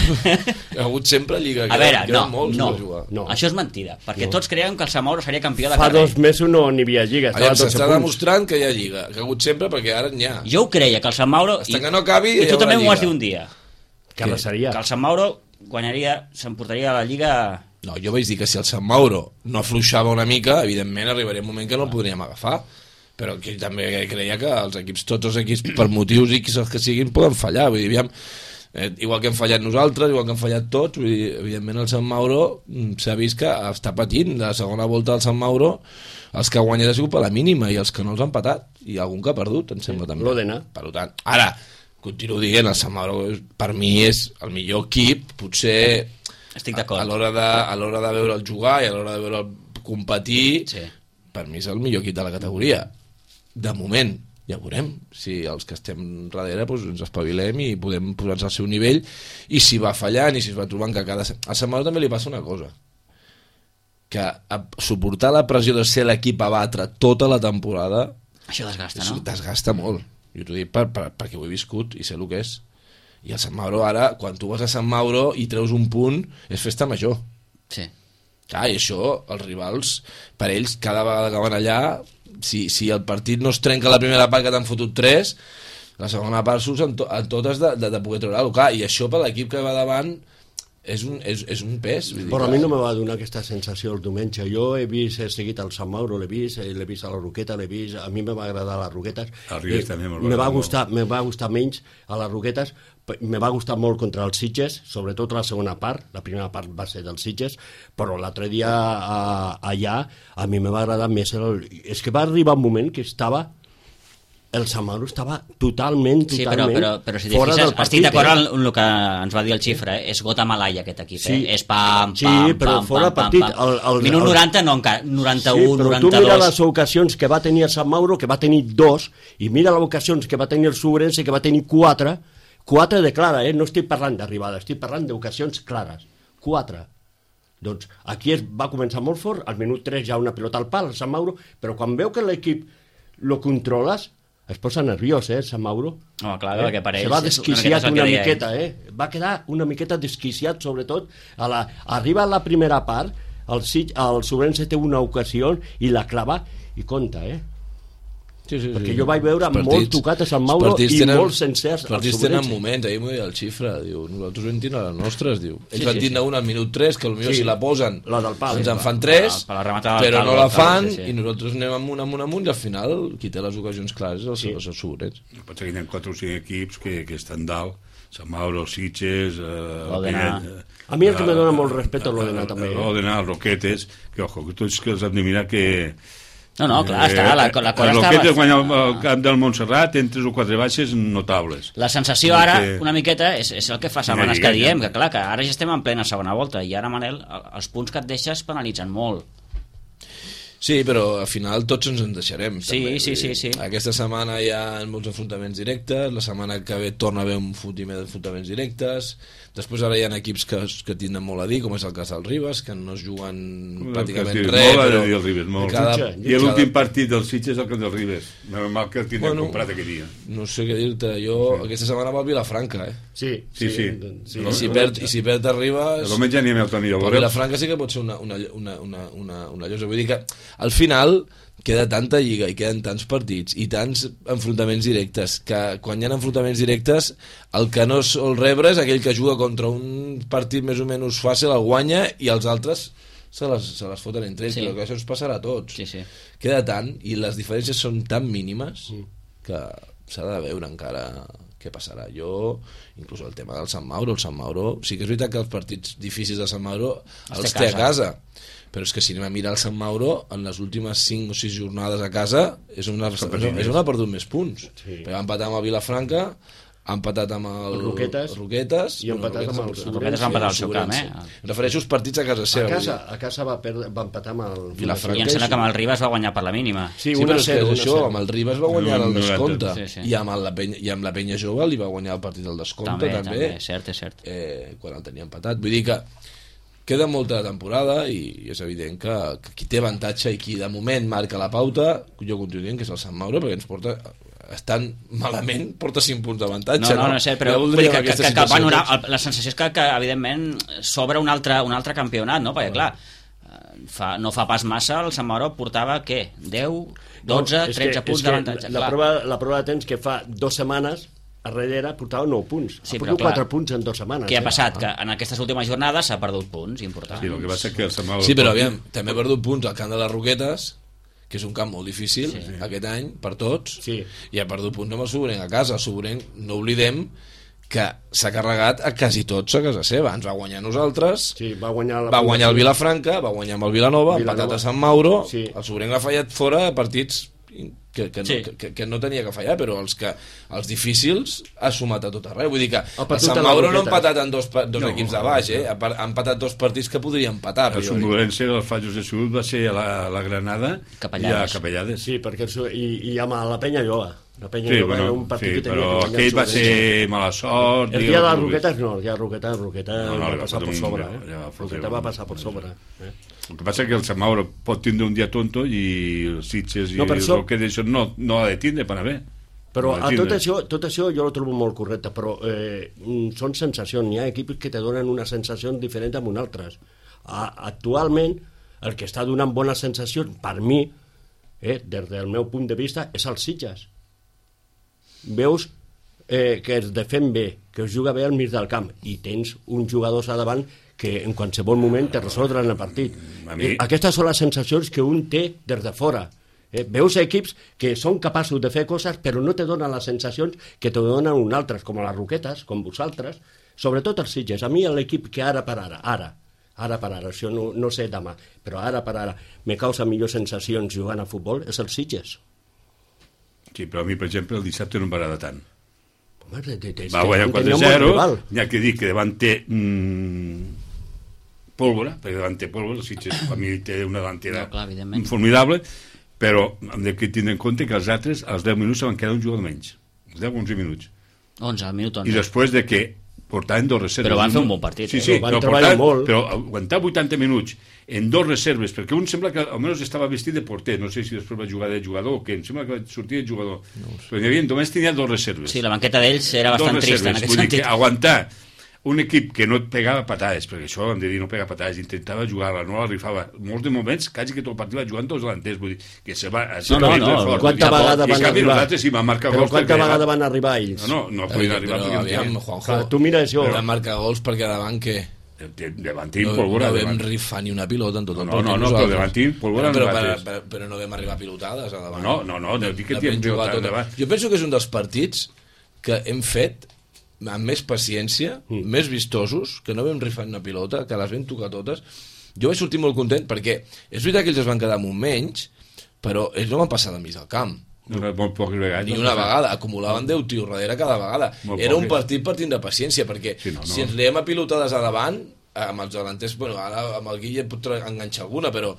ha hagut sempre lliga. A veure, no, molts no, no, això és mentida, perquè no. Tots creiem que el Samauro seria campió de carrer. Fa dos mesos no n'hi havia lliga. S'està demostrant que hi ha lliga, que ha hagut sempre, perquè ara n'hi ha. Jo ho creia, que el Samauro... Hasta que no acabi, i tu també m'ho vas dir un dia. Que, que el Samauro guanyaria, s'emportaria la lliga... No, jo vaig dir que si el Sant Mauro no afluixava una mica, evidentment arribaria un moment que no el podríem agafar, però que també creia que els equips, tots els equips, per motius X els que siguin, poden fallar. Vull dir, aviam, eh, igual que hem fallat nosaltres, igual que hem fallat tots, vull dir, evidentment el Sant Mauro s'ha vist que està patint. La segona volta del Sant Mauro, els que ha guanyat ha sigut per la mínima i els que no els han patat, i algun que ha perdut, em sembla també. L'Odena. Per tant, ara, continuo dient, el Sant Mauro per mi és el millor equip, potser estic d'acord, a, a l'hora de, a l'hora de veure el jugar i a l'hora de veure el competir, sí. Per mi és el millor equip de la categoria. De moment, ja veurem si els que estem darrere doncs, ens espavilem i podem posar-nos al seu nivell, i si va fallant i si es va trobant que cada... A Sant Mauro també li passa una cosa, que a suportar la pressió de ser l'equip a batre tota la temporada, això desgasta, no? Desgasta molt. Jo t'ho dic per, per, perquè ho he viscut i sé el que és. I el Sant Mauro ara, quan tu vas a Sant Mauro i treus un punt, és festa major. Sí. Clar, i això, els rivals, per ells, cada vegada que van allà, si, si el partit no es trenca la primera part que t'han fotut tres, la segona part surts en, to, en totes de, de, de poder treure-ho. Clar, i això per l'equip que va davant és un, és, és un pes. Vull dir, però a mi no me va donar aquesta sensació el diumenge. Jo he vist, he seguit el Sant Mauro, l'he vist, l'he vist a la Roqueta, l'he vist, a mi me va agradar les Roquetes. El Ribes també me va gustar, me va gustar menys a les Roquetes, me va gustar molt contra els Sitges, sobretot la segona part, la primera part va ser dels Sitges, però l'altre dia a, allà a mi me va agradar més el... És que va arribar un moment que estava el Sant Mauro estava totalment, totalment sí, però, però, però si fora fixes, del partit. Estic d'acord eh? amb el que ens va dir el Xifra, eh? És gota malai aquest equip, Sí. eh? És pam, pam, Sí, pam, però pam, fora pam, partit, pam, pam. el- el- Minut el- noranta, no encara, noranta-u, Sí, però tu noranta-dos... mira les ocasions que va tenir el Sant Mauro, que va tenir dos, i mira les ocasions que va tenir el Sobrense, que va tenir quatre, quatre de clara, eh? No estic parlant d'arribada, estic parlant d'ocasions clares. Quatre. Doncs aquí es va començar molt fort, al minut tres ja una pilota al pal, el Sant Mauro, però quan veu que l'equip lo controles, es posa nerviós, eh, el Sant Mauro. Home, clar, eh? perquè per ells Se va és una desquiciat miqueta el que una deia ell. miqueta, eh? Va quedar una miqueta desquiciat, sobretot. A la, arriba a la primera part, el, Sig- el Sobrense té una ocasió i la clava i compta, eh? Sí, sí, Perquè sí. jo vaig veure Els partits- molt tocat a Sant Mauro els partits i tenen- molt sencers Els al partits tenen Sobrense. moments, ahir m'ho deia el Xifra, diu, nosaltres vam tindre les nostres, diu. Ells Sí, van sí, tindre una al minut tres, que potser Sí. si la posen La del pal. ens Sí, en va. fan tres, Per la rematada del però pal, no del la pal, fan, sí, sí. i nosaltres anem amunt, amunt, amunt, i al final qui té les ocasions clares és els, Sí. els Sobrets. Potser que hi ha quatre o cinc equips que, que estan dalt, Sant Mauro, Sitges... Eh, L'Òdena. Pinell, A mi el que me eh, dona molt respecte és l'Òdena, eh, també, eh? L'Òdena, els Roquetes, que ojo, que tots que els hem de mirar que... No, no, clar, està, la, la cosa el està... Roquetes guanya el camp del Montserrat en tres o quatre baixes notables. La sensació ara, Perquè- una miqueta, és, és el que fa setmanes Lliga, que diem, ja. que clar, que ara ja estem en plena segona volta, i ara, Manel, el- els punts que et deixes penalitzen molt. Sí, però al final tots ens en deixarem. Sí, també. sí, Vull sí, dir, sí. Aquesta setmana hi ha molts enfrontaments directes, la setmana que ve torna a haver un fotimer d'enfrontaments directes, després ara hi ha equips que, que tindran molt a dir, com és el cas del Ribes, que no es juguen pràcticament El que es diu, res, molt ha de però... dir el Ribes, molt. cada- Jutge, I l'últim partit del Sitges és el que del Ribes. Normal que el tindrem Bueno, comprat aquell dia. No sé què dir-te, jo aquesta setmana va al Vilafranca, eh? Sí, Sí, sí. sí. I si perd, i si perd a Ribes... El diumenge anem al Toni El Llavors. Vilafranca sí que pot ser una, una, una, una, una, una llosa. Vull dir que al final queda tanta lliga i queden tants partits i tants enfrontaments directes que quan hi ha enfrontaments directes el que no sol rebre és aquell que juga contra un partit més o menys fàcil, el guanya i els altres se les, se les foten entre ells, Sí. però que això ens passarà a tots. Sí, sí. Queda tant i les diferències són tan mínimes que s'ha de veure encara què passarà. Jo, inclús el tema del Sant Mauro, el Sant Mauro, sí que és veritat que els partits difícils de Sant Mauro els, Els té té a a casa, però és que si anem a mirar el Sant Mauro, en les últimes cinc o sis jornades a casa és on ha, és on ha perdut més punts. Sí. Perquè va empatar amb el Vilafranca, ha empatat amb el, El Roquetes. Roquetes I ha empatat amb el El Roquetes va empatar al seu camp, eh? Em refereixo als partits a casa A seva. casa, a casa va, perdre, va empatar amb el Vilafranca. I em sembla que amb el Ribas va guanyar per la mínima. Sí, Sí, una però és que zero, és una això, zero. amb el Ribas va guanyar el No, descompte, sí, sí. i amb la penya, i amb la penya jove li va guanyar el partit del descompte També, també, també, és cert, és cert. Eh, quan el tenia empatat, vull dir que queda molta temporada i és evident que, que qui té avantatge i qui de moment marca la pauta, jo continuo dient que és el Sant Mauro, perquè ens porta estan malament, porta cinc punts d'avantatge. No, no, no sé, però Ja vull dir voldríem que, que, aquesta que, que el situació panorama, tots. el- la sensació és que, que evidentment, s'obre un altre, un altre campionat, no? Perquè, clar, eh, fa, no fa pas massa, el Sant Mauro portava, què? deu, dotze, No, és que- tretze és punts que d'avantatge. La, clar. prova, la prova de temps que fa dues setmanes a darrere portava nou punts. Sí, ha però perdut clar, quatre punts en dues setmanes. Què ha eh? passat? Que en aquestes últimes jornades s'ha perdut punts importants. Sí, el que passa és que el Sant Mauro... Sí, però aviam, també ha perdut punts al camp de les Roquetes, que és un camp molt difícil sí. aquest any per tots, Sí. i ha perdut punts amb el Sobrenc a casa. El Sobrenc, no oblidem que s'ha carregat a quasi tots a casa seva. Ens va guanyar a nosaltres, Sí, va guanyar, la va guanyar el Vilafranca, va guanyar amb el Vilanova, ha Vilanova. empatat a Sant Mauro, Sí. el Sobrenc ha fallat fora de partits que, que, no, Sí. que, que no tenia que fallar, però els, que, els difícils ha sumat a tot arreu. Vull dir que el perdut Sant a les Mauro no ha Roquetes. empatat en dos, pa- dos No, equips de baix, eh? ha, pa- ha empatat dos partits que podria empatar. El però jo dic- Somnolense, els Fallos de Sud, va ser a la, a la Granada Capellades. i a Capellades. Sí, perquè el, su- i, i amb la penya jove. La penya Sí, jove bueno, era un partit sí, que tenia però que guanyar aquell el va Sobrense. ser mala sort. El digue'm dia de les com vulguis. Roquetes no, el dia de Roquetes, Roquetes No, no, va li va passar fotre per un- sobre. li Eh? va fotre Roquetes un- va passar per sobre. Eh? El que passa és que el Sant Mauro pot tindre un dia tonto i els Sitges i No, per el això- Roquetes això no, no ha de tindre per anar bé. Però No ha a de tot tindre. això, tot això jo ho trobo molt correcte, però eh, mm, són sensacions. Hi ha equips que te donen una sensació diferent amb un altres. A, actualment, el que està donant bones sensacions, per mi, eh, des del meu punt de vista, és el Sitges. Veus eh, que es defèn bé, que es juga bé al mig del camp, i tens uns jugadors a davant que en qualsevol moment te resoldran el partit. A mi- Eh, aquestes són les sensacions que un té des de fora. Eh, veus equips que són capaços de fer coses però no te donen les sensacions que te donen un altres, com les Roquetes, com vosaltres, sobretot els Sitges. A mi l'equip que ara per ara, ara, ara per ara, això no, no sé demà, però ara per ara me causa millors sensacions jugant a futbol és el Sitges. Sí, però a mi, per exemple, el dissabte no em va agradar tant. Home, de, de, de, Va guanyar tenia quatre un bon zero, rival. n'hi ha que dir que davant té mmm, pólvora, perquè davant té pólvora, el Sitges a mi té una davantera No, clar, evidentment. formidable, però hem de tindre en compte que els altres, als deu minuts, se van quedar un jugador menys. Els deu onze minuts. onze, al minut onze. I després de que portaven dos reserves... Però van fer un bon partit, Sí, eh? sí, Van però, treballar portaven, molt. però aguantar vuitanta minuts en dos reserves, perquè un sembla que almenys estava vestit de porter, no sé si després va jugar de jugador o què, em sembla que va sortir de jugador. No però hi havia, només tenia dos reserves. Sí, la banqueta d'ells era bastant Dos trista en reserves, aquest vull dir sentit. que aguantar un equip que no et pegava patades, perquè això hem de dir, no pega patades, intentava jugar-la, no la rifava. Molts de moments, quasi que tot el partit va jugant tots delanters, vull dir, que se va... Se No, no, va no, fort, quanta vull dir, vegada i en van canvi arribar? nosaltres sí van marcar Però gols quanta perquè- vegada van arribar ells? No, no, no podien arribar però perquè... aviam, no Juanjo, Clar, tu mira això. vam marcar gols perquè davant què? tenien. Davantín, No, pólvora. no vam davant. rifar ni una pilota en tot el No, partit. no, no, nosaltres. però davantín, pólvora però, no però, bates. però, però no vam arribar a pilotades a davant. No, no, no, no dic que La t'hi hem vam jugar jugat tota. endavant. Jo penso que és un dels partits que hem fet amb més paciència, mm. més vistosos, que no vam rifar una pilota, que les vam tocar totes. Jo vaig sortir molt content perquè és veritat que ells es van quedar amb un menys, però ells no van passar de mig al camp. No, molt poques vegades. Ni no una passa. vegada, acumulaven deu tios darrere cada vegada. Molt Era un poques. partit per tindre paciència, perquè Sí, no, no. si ens liem a pilotades a davant, amb els delanters, bueno, ara amb el Guille pot tra- enganxar alguna, però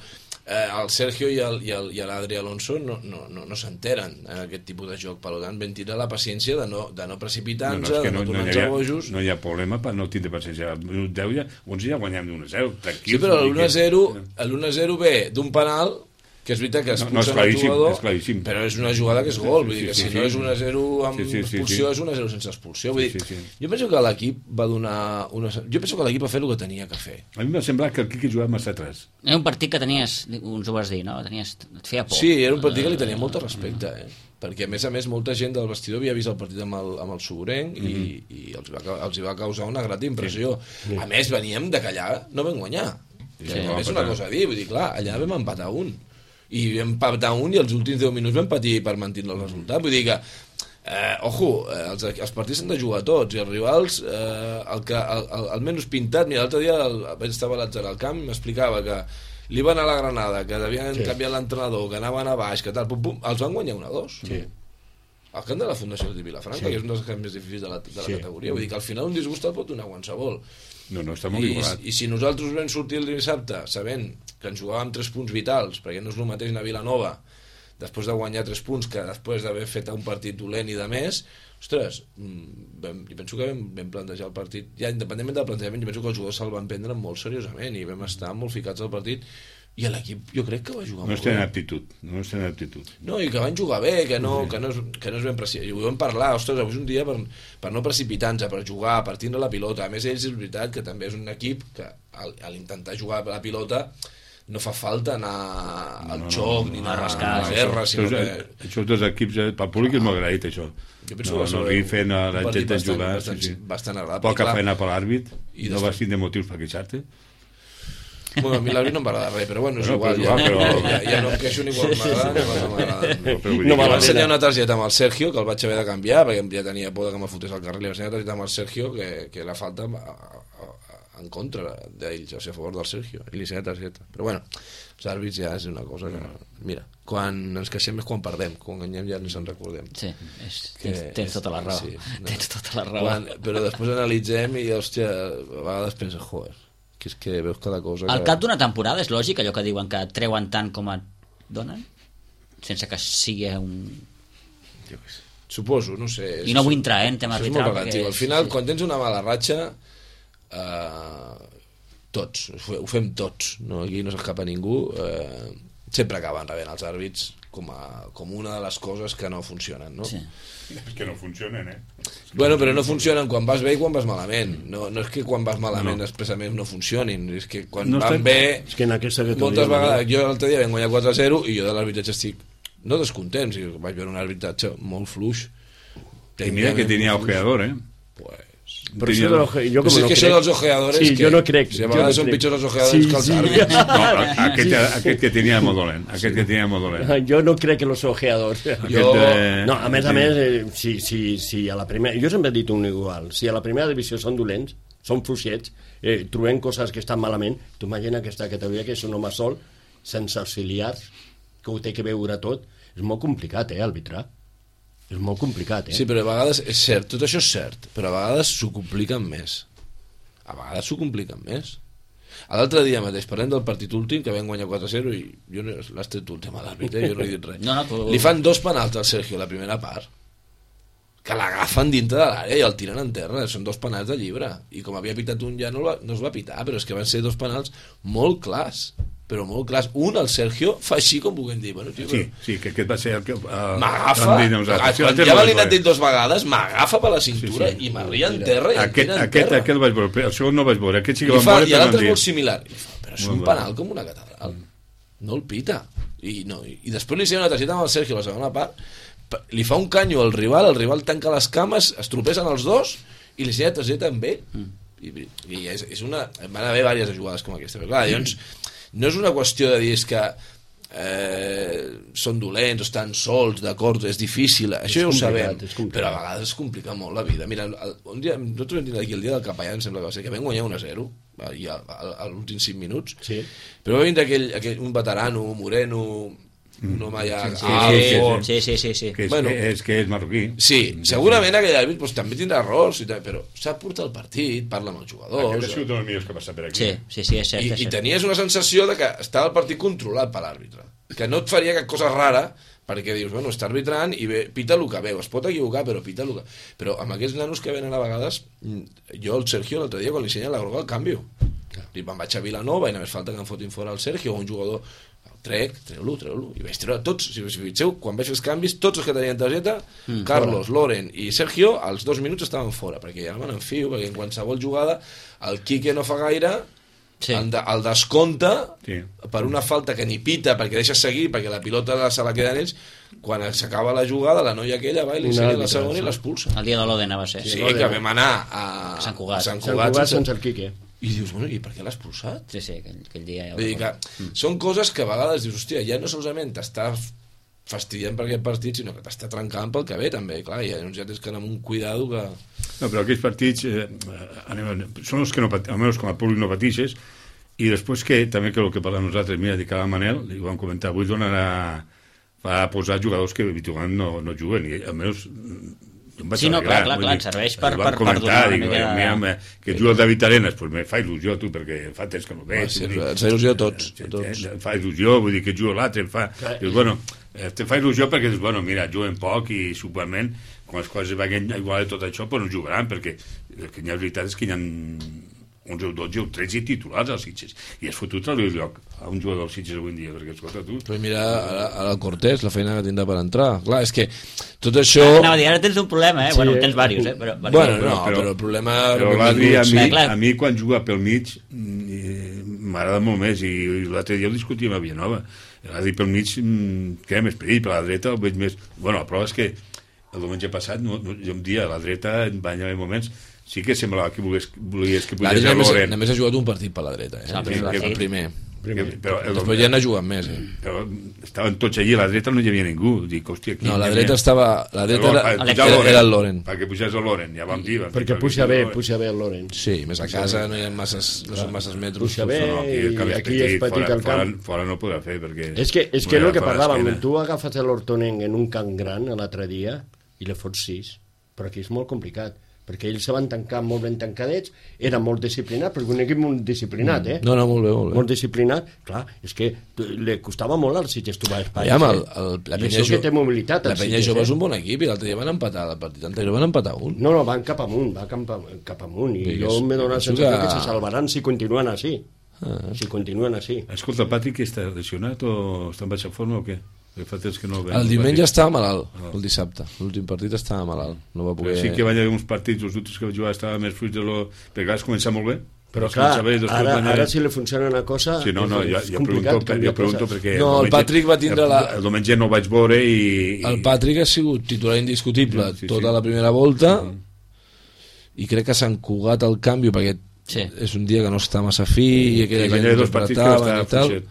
eh, el Sergio i el- i el- i l'Adri Alonso no, no, no, no s'enteren en aquest tipus de joc. Per tant, vam tindre la paciència de no, de no precipitar-nos, No, no, és que de no, no no, hi tornar-nos havia, bojos. no hi ha problema per no tindre paciència. Al minut deu ja, onze ja guanyem d'un a zero. Sí, però l'u a zero l'u a zero ve d'un penal, que és veritat que No, expulsen no, és el claríssim, jugador, és claríssim. però és una jugada que és gol, vull Sí, dir que sí, si sí, no sí. és un a zero amb Sí, sí, sí, expulsió, sí. és un a zero sense expulsió. Vull dir, Sí, sí, sí. jo penso que l'equip va donar una... Jo penso que l'equip va fer el que tenia que fer. A mi m'ha semblat que el Quique jugava massa atràs. Era un partit que tenies, uns ho vas dir, no? Tenies, et feia por. Sí, era un partit que li tenia molt de respecte, eh? Perquè, a més a més, molta gent del vestidor havia vist el partit amb el, amb el Soborenc i, Mhm. i els, va, ca- els hi va causar una grata impressió. A més, veníem de que allà no vam guanyar. Sí, Que sí, també és vam una empatar. cosa a dir, vull dir, clar, allà vam empatar un. I vam empatar un i els últims deu minuts vam patir per mantenir el resultat. Vull dir que, eh, ojo, eh, els, els partits s'han de jugar tots i els rivals, eh, el, que, el, el, el menys pintat, mira, l'altre dia el, vaig estar a l'Atzar al camp i m'explicava que li van a la Granada, que havien sí. canviat l'entrenador, que anaven a baix, que tal, pum, pum, els van guanyar un a dos. Sí. Al camp de la Fundació de Vilafranca, Sí. que és un dels camps més difícils de la, de la Sí. categoria. Vull dir que al final un disgust el pot donar qualsevol. No, no, està molt I, igualat. I si nosaltres vam sortir el dissabte sabent que ens jugàvem tres punts vitals, perquè no és el mateix anar a Vilanova després de guanyar tres punts que després d'haver fet un partit dolent i de més, ostres, mm, vam, jo penso que vam, vam plantejar el partit, ja independentment del plantejament, jo penso que els jugadors se'l van prendre molt seriosament i vam estar molt ficats al partit i l'equip jo crec que va jugar No molt estem en bé. aptitud. No estem en aptitud. No, i que van jugar bé, que no, que no, és, que no és ben precipitat. I ho vam parlar, ostres, avui és un dia per, per no precipitar-nos, per jugar, per tindre la pilota. A més, ells és veritat que també és un equip que al, a l'intentar jugar la pilota no fa falta anar al No, no, xoc no, ni no, anar rascar, a la sí, guerra, Això, sinó és, que... això tots els equips, eh, pel públic és molt agraït, això. Jo penso No, que va ser no un- rifen a la un partit gent a bastant- jugar. bastant- Sí, sí. bastant agradable. Poca Clar, feina per l'àrbit. I No després- vas tindre motius per queixar-te. Bueno, a mi l'àrbit no em va agradar res, però bueno, és Bueno, igual, però ja, és igual, però- ja, ja no em queixo ni quan m'agrada ni quan no m'agrada. No, però vull No dir val que- Em va la ensenyar pena. una targeta amb el Sergio, que el vaig haver de canviar, perquè ja tenia por de que me fotés al carrer. Li vaig ensenyar una targeta amb el Sergio, que, que la falta a, a, en contra d'ells, o sigui, a favor del Sergio. I li ensenyé targeta. Però bueno, els àrbits ja és una cosa que... Mira, quan ens queixem és quan perdem, quan guanyem ja ni se'n recordem. Sí, és, Que tens, tens tota la raó. sí, no. Tens tota la raó. Quan, però després analitzem i, hòstia, a vegades penses, joder, que és que veus cada cosa... Al que... cap d'una temporada és lògic allò que diuen que et treuen tant com et donen? Sense que sigui un... Jo què sé. Suposo, no sé. I no vull entrar, eh, en tema Això és molt arbitral, relatiu. perquè Al final, sí. quan tens una mala ratxa, eh, tots, ho fe- ho fem tots, no? Aquí no s'escapa ningú, eh, sempre acaben rebent els àrbits com, a, com una de les coses que no funcionen, no? Sí. És que no funcionen, eh? Bueno, però no funcionen quan vas bé i quan vas malament. No, no és que quan vas malament No. expressament no funcionin, és que quan No van estem- bé... És que en aquesta categoria... Moltes vegades, jo l'altre dia vam guanyar quatre a zero i jo de l'arbitratge estic no descontent, si vaig veure un arbitratge molt fluix. I mira que tenia ojeador, eh? Pues... Però això de l'oje... Jo Pues com és no que crec... això dels ojeadores... Sí, que, jo no crec. Si a jo vegades no són crec. pitjors els ojeadores que els àrbits. No, aquest, aquest que tenia molt dolent. Aquest que tenia molt dolent. Jo no crec que los ojeadors... Jo- de- No, a més a més, eh, si, si, si a la primera... Jo sempre he dit un igual. Si a la primera divisió són dolents, són fluixets, eh, trobem coses que estan malament, tu imagina aquesta categoria que és un home sol, sense auxiliars, que ho té que veure tot. És molt complicat, eh, arbitrar. És molt complicat, eh? Sí, però a vegades, és cert, tot això és cert, però a vegades s'ho compliquen més. A vegades s'ho compliquen més. L'altre dia mateix, parlem del partit últim, que vam guanyar quatre a zero, i jo no, l'has tret últim a l'àrbitre, jo no he dit res. No, no, tu... Li fan dos penals al Sergio a la primera part, que l'agafen dintre de l'àrea i el tiren en terra, són dos penals de llibre, i com havia pitat un ja no, va, no es va pitar, però és que van ser dos penals molt clars, però molt clars. Un, el Sergio, fa així com puguem dir. Bueno, tio, Sí, però... sí, que aquest va ser el que... Uh, M'agafa, quan ja l'he anat dit dos vegades, m'agafa per la cintura sí, sí. i m'arria en terra i aquest, em tira en aquest, terra. Aquest el vaig veure, el segon no el vaig veure, aquest sí que I, el fa, van veure. I l'altre és molt similar. I fa, però és molt un penal com una catedral. No el pita. I, no, i, i després li sé una targeta amb el Sergio, la segona part, li fa un canyo al rival, el rival tanca les cames, es tropesen els dos i li sé una targeta amb ell. Mm. I, i és, és una... van haver diverses jugades com aquesta. Però clar, llavors, no és una qüestió de dir que eh, són dolents o estan sols, d'acord, és difícil, és això ja ho sabem, però a vegades es complica molt la vida. Mira, el, un dia, nosaltres vam dir aquí el dia del Capellà, em sembla que va ser, que vam guanyar un a zero i a, a, a l'últims cinc minuts, sí. Però va vindre aquell, aquell, un veterano, moreno, un home ja... Sí, sí, fort. sí, sí, sí, sí. Que és, bueno, és que és marroquí. Sí, segurament aquell àrbit pues, també tindrà errors, i tal, però sap portar el partit, parla amb els jugadors... Aquest ha sigut un dels millors que ha passat per aquí. Sí, sí, sí, és cert. I, és cert. I tenies una sensació de que estava el partit controlat per l'àrbitre, que no et faria cap cosa rara, perquè dius, bueno, està arbitrant i ve, pita el que veu, es pot equivocar, però pita el que... Però amb aquests nanos que venen a vegades, jo el Sergio l'altre dia, quan li ensenyen la groga, el canvio. Li me'n vaig a Vilanova i només falta que em fotin fora el Sergio o un jugador... trec, treu-lo, treu-lo, i vaig treure tots, si us fixeu, quan vaig fer els canvis, tots els que tenien targeta, mm, Carlos, fora. Loren i Sergio, als dos minuts estaven fora, perquè ja me n'enfio, perquè en qualsevol jugada el Quique no fa gaire, sí. el, de, el descompta sí. per una falta que ni pita, perquè deixa seguir, perquè la pilota se la queden ells, quan s'acaba la jugada, la noia aquella va i li ensenya la segona i l'expulsa. El dia de l'Odena va ser. Sí, sí que vam anar a, a Sant Cugat, a Sant Cugat, Cugat sense... sense el Quique. I dius, bueno, i per què l'has expulsat? Sí, sí, aquell, aquell dia ja... Vull dir que mm. són coses que a vegades dius, hòstia, ja no solament t'està fastidiant per aquest partit, sinó que t'està trencant pel que ve, també, clar, i llavors ja tens que anar amb un cuidado que... No, però aquells partits eh, anem, són els que no pateixes, almenys com a públic no pateixes, i després que, també que el que parlem nosaltres, mira, de cada Manel, li vam comentar, avui donen a, a posar jugadors que habitualment no, no juguen, i almenys... Sí, no, clar, clar, clar, serveix per, per, per donar una mica de... Mira, que juga el David Arenas, pues me fa il·lusió, tu, perquè fa temps que no veig. Sí, ens fa il·lusió a tots. A tots. Fa il·lusió, vull dir que juga l'altre, fa... Dius, bueno, te fa il·lusió perquè dius, bueno, mira, juguen poc i segurament, quan les coses vagin igual de tot això, pues no jugaran, perquè el que hi ha veritat és que hi ha onze o dotze o tretze titulars als Sitges, i has fotut el lloc a un jugador dels Sitges avui en dia, perquè escolta tu... Però mira, ara, ara el Cortés, la feina que tindrà per entrar, clar, és que tot això... Anava a dir, ara tens un problema, eh? Sí. Bueno, tens diversos, eh? Però, bueno, bueno, no, però, però el problema... Però l'Adri, a, mi, a mi, quan juga pel mig, m'agrada molt més, i, i l'altre dia ho discutíem a Villanova. L'Adri pel mig, què, més perill, per la dreta el veig més... Bueno, la prova és que el diumenge passat, no, no, jo un dia a la dreta, va haver moments... Sí que semblava que volies, volies que pugés a Loren. Només ha jugat un partit per la dreta, eh? El primer. El primer. primer. Però, el, Després ja n'ha jugat més, eh? Però estaven tots allí, a la dreta no hi havia ningú. Dic, hòstia, aquí... No, la dreta estava... La dreta era, era, era el Loren. Perquè pugés el Loren, ja vam dir. Perquè puja bé, puja bé el Loren. Sí, més a casa no hi ha masses, no són masses metres. Puja bé, i aquí és petit el camp. Fora no podrà fer, perquè... És que és el que parlàvem, tu agafes l'Hortonen en un camp gran l'altre dia i le fots sis, però aquí és molt complicat, perquè ells se van tancar molt ben tancadets, era molt disciplinat, perquè un equip molt disciplinat, eh? No, no, molt bé, molt bé. Molt disciplinat, clar, és que li costava molt als Sitges trobar espai. Ja, el, el, la Penya Jove té mobilitat. La Penya Jove és un bon equip, i l'altre dia van empatar, el partit anterior van empatar un. No, no, van cap amunt, van cap, cap amunt, i jo m'he donat la sensació que... que se salvaran si continuen així. Ah. Si continuen així. Escolta, el Patrick està lesionat o està en baixa forma o què? Que no el diumenge estava malalt, el dissabte l'últim partit estava malalt, no va poder... Però sí que va haver uns partits, els últims que va jugar estava més fruit de lo... perquè clar, es comença molt bé, però clar, ara, ara si li funciona una cosa sí, no, no, ja, ja pregunto, ja pregunto perquè no, el, el Patrick va tindre la... el diumenge no vaig veure i, i... el Patrick ha sigut titular indiscutible sí, sí, tota sí. la primera volta sí. i crec que s'han cugat el canvi perquè sí. és un dia que no està massa fi i aquella gent dos partits que està i tal.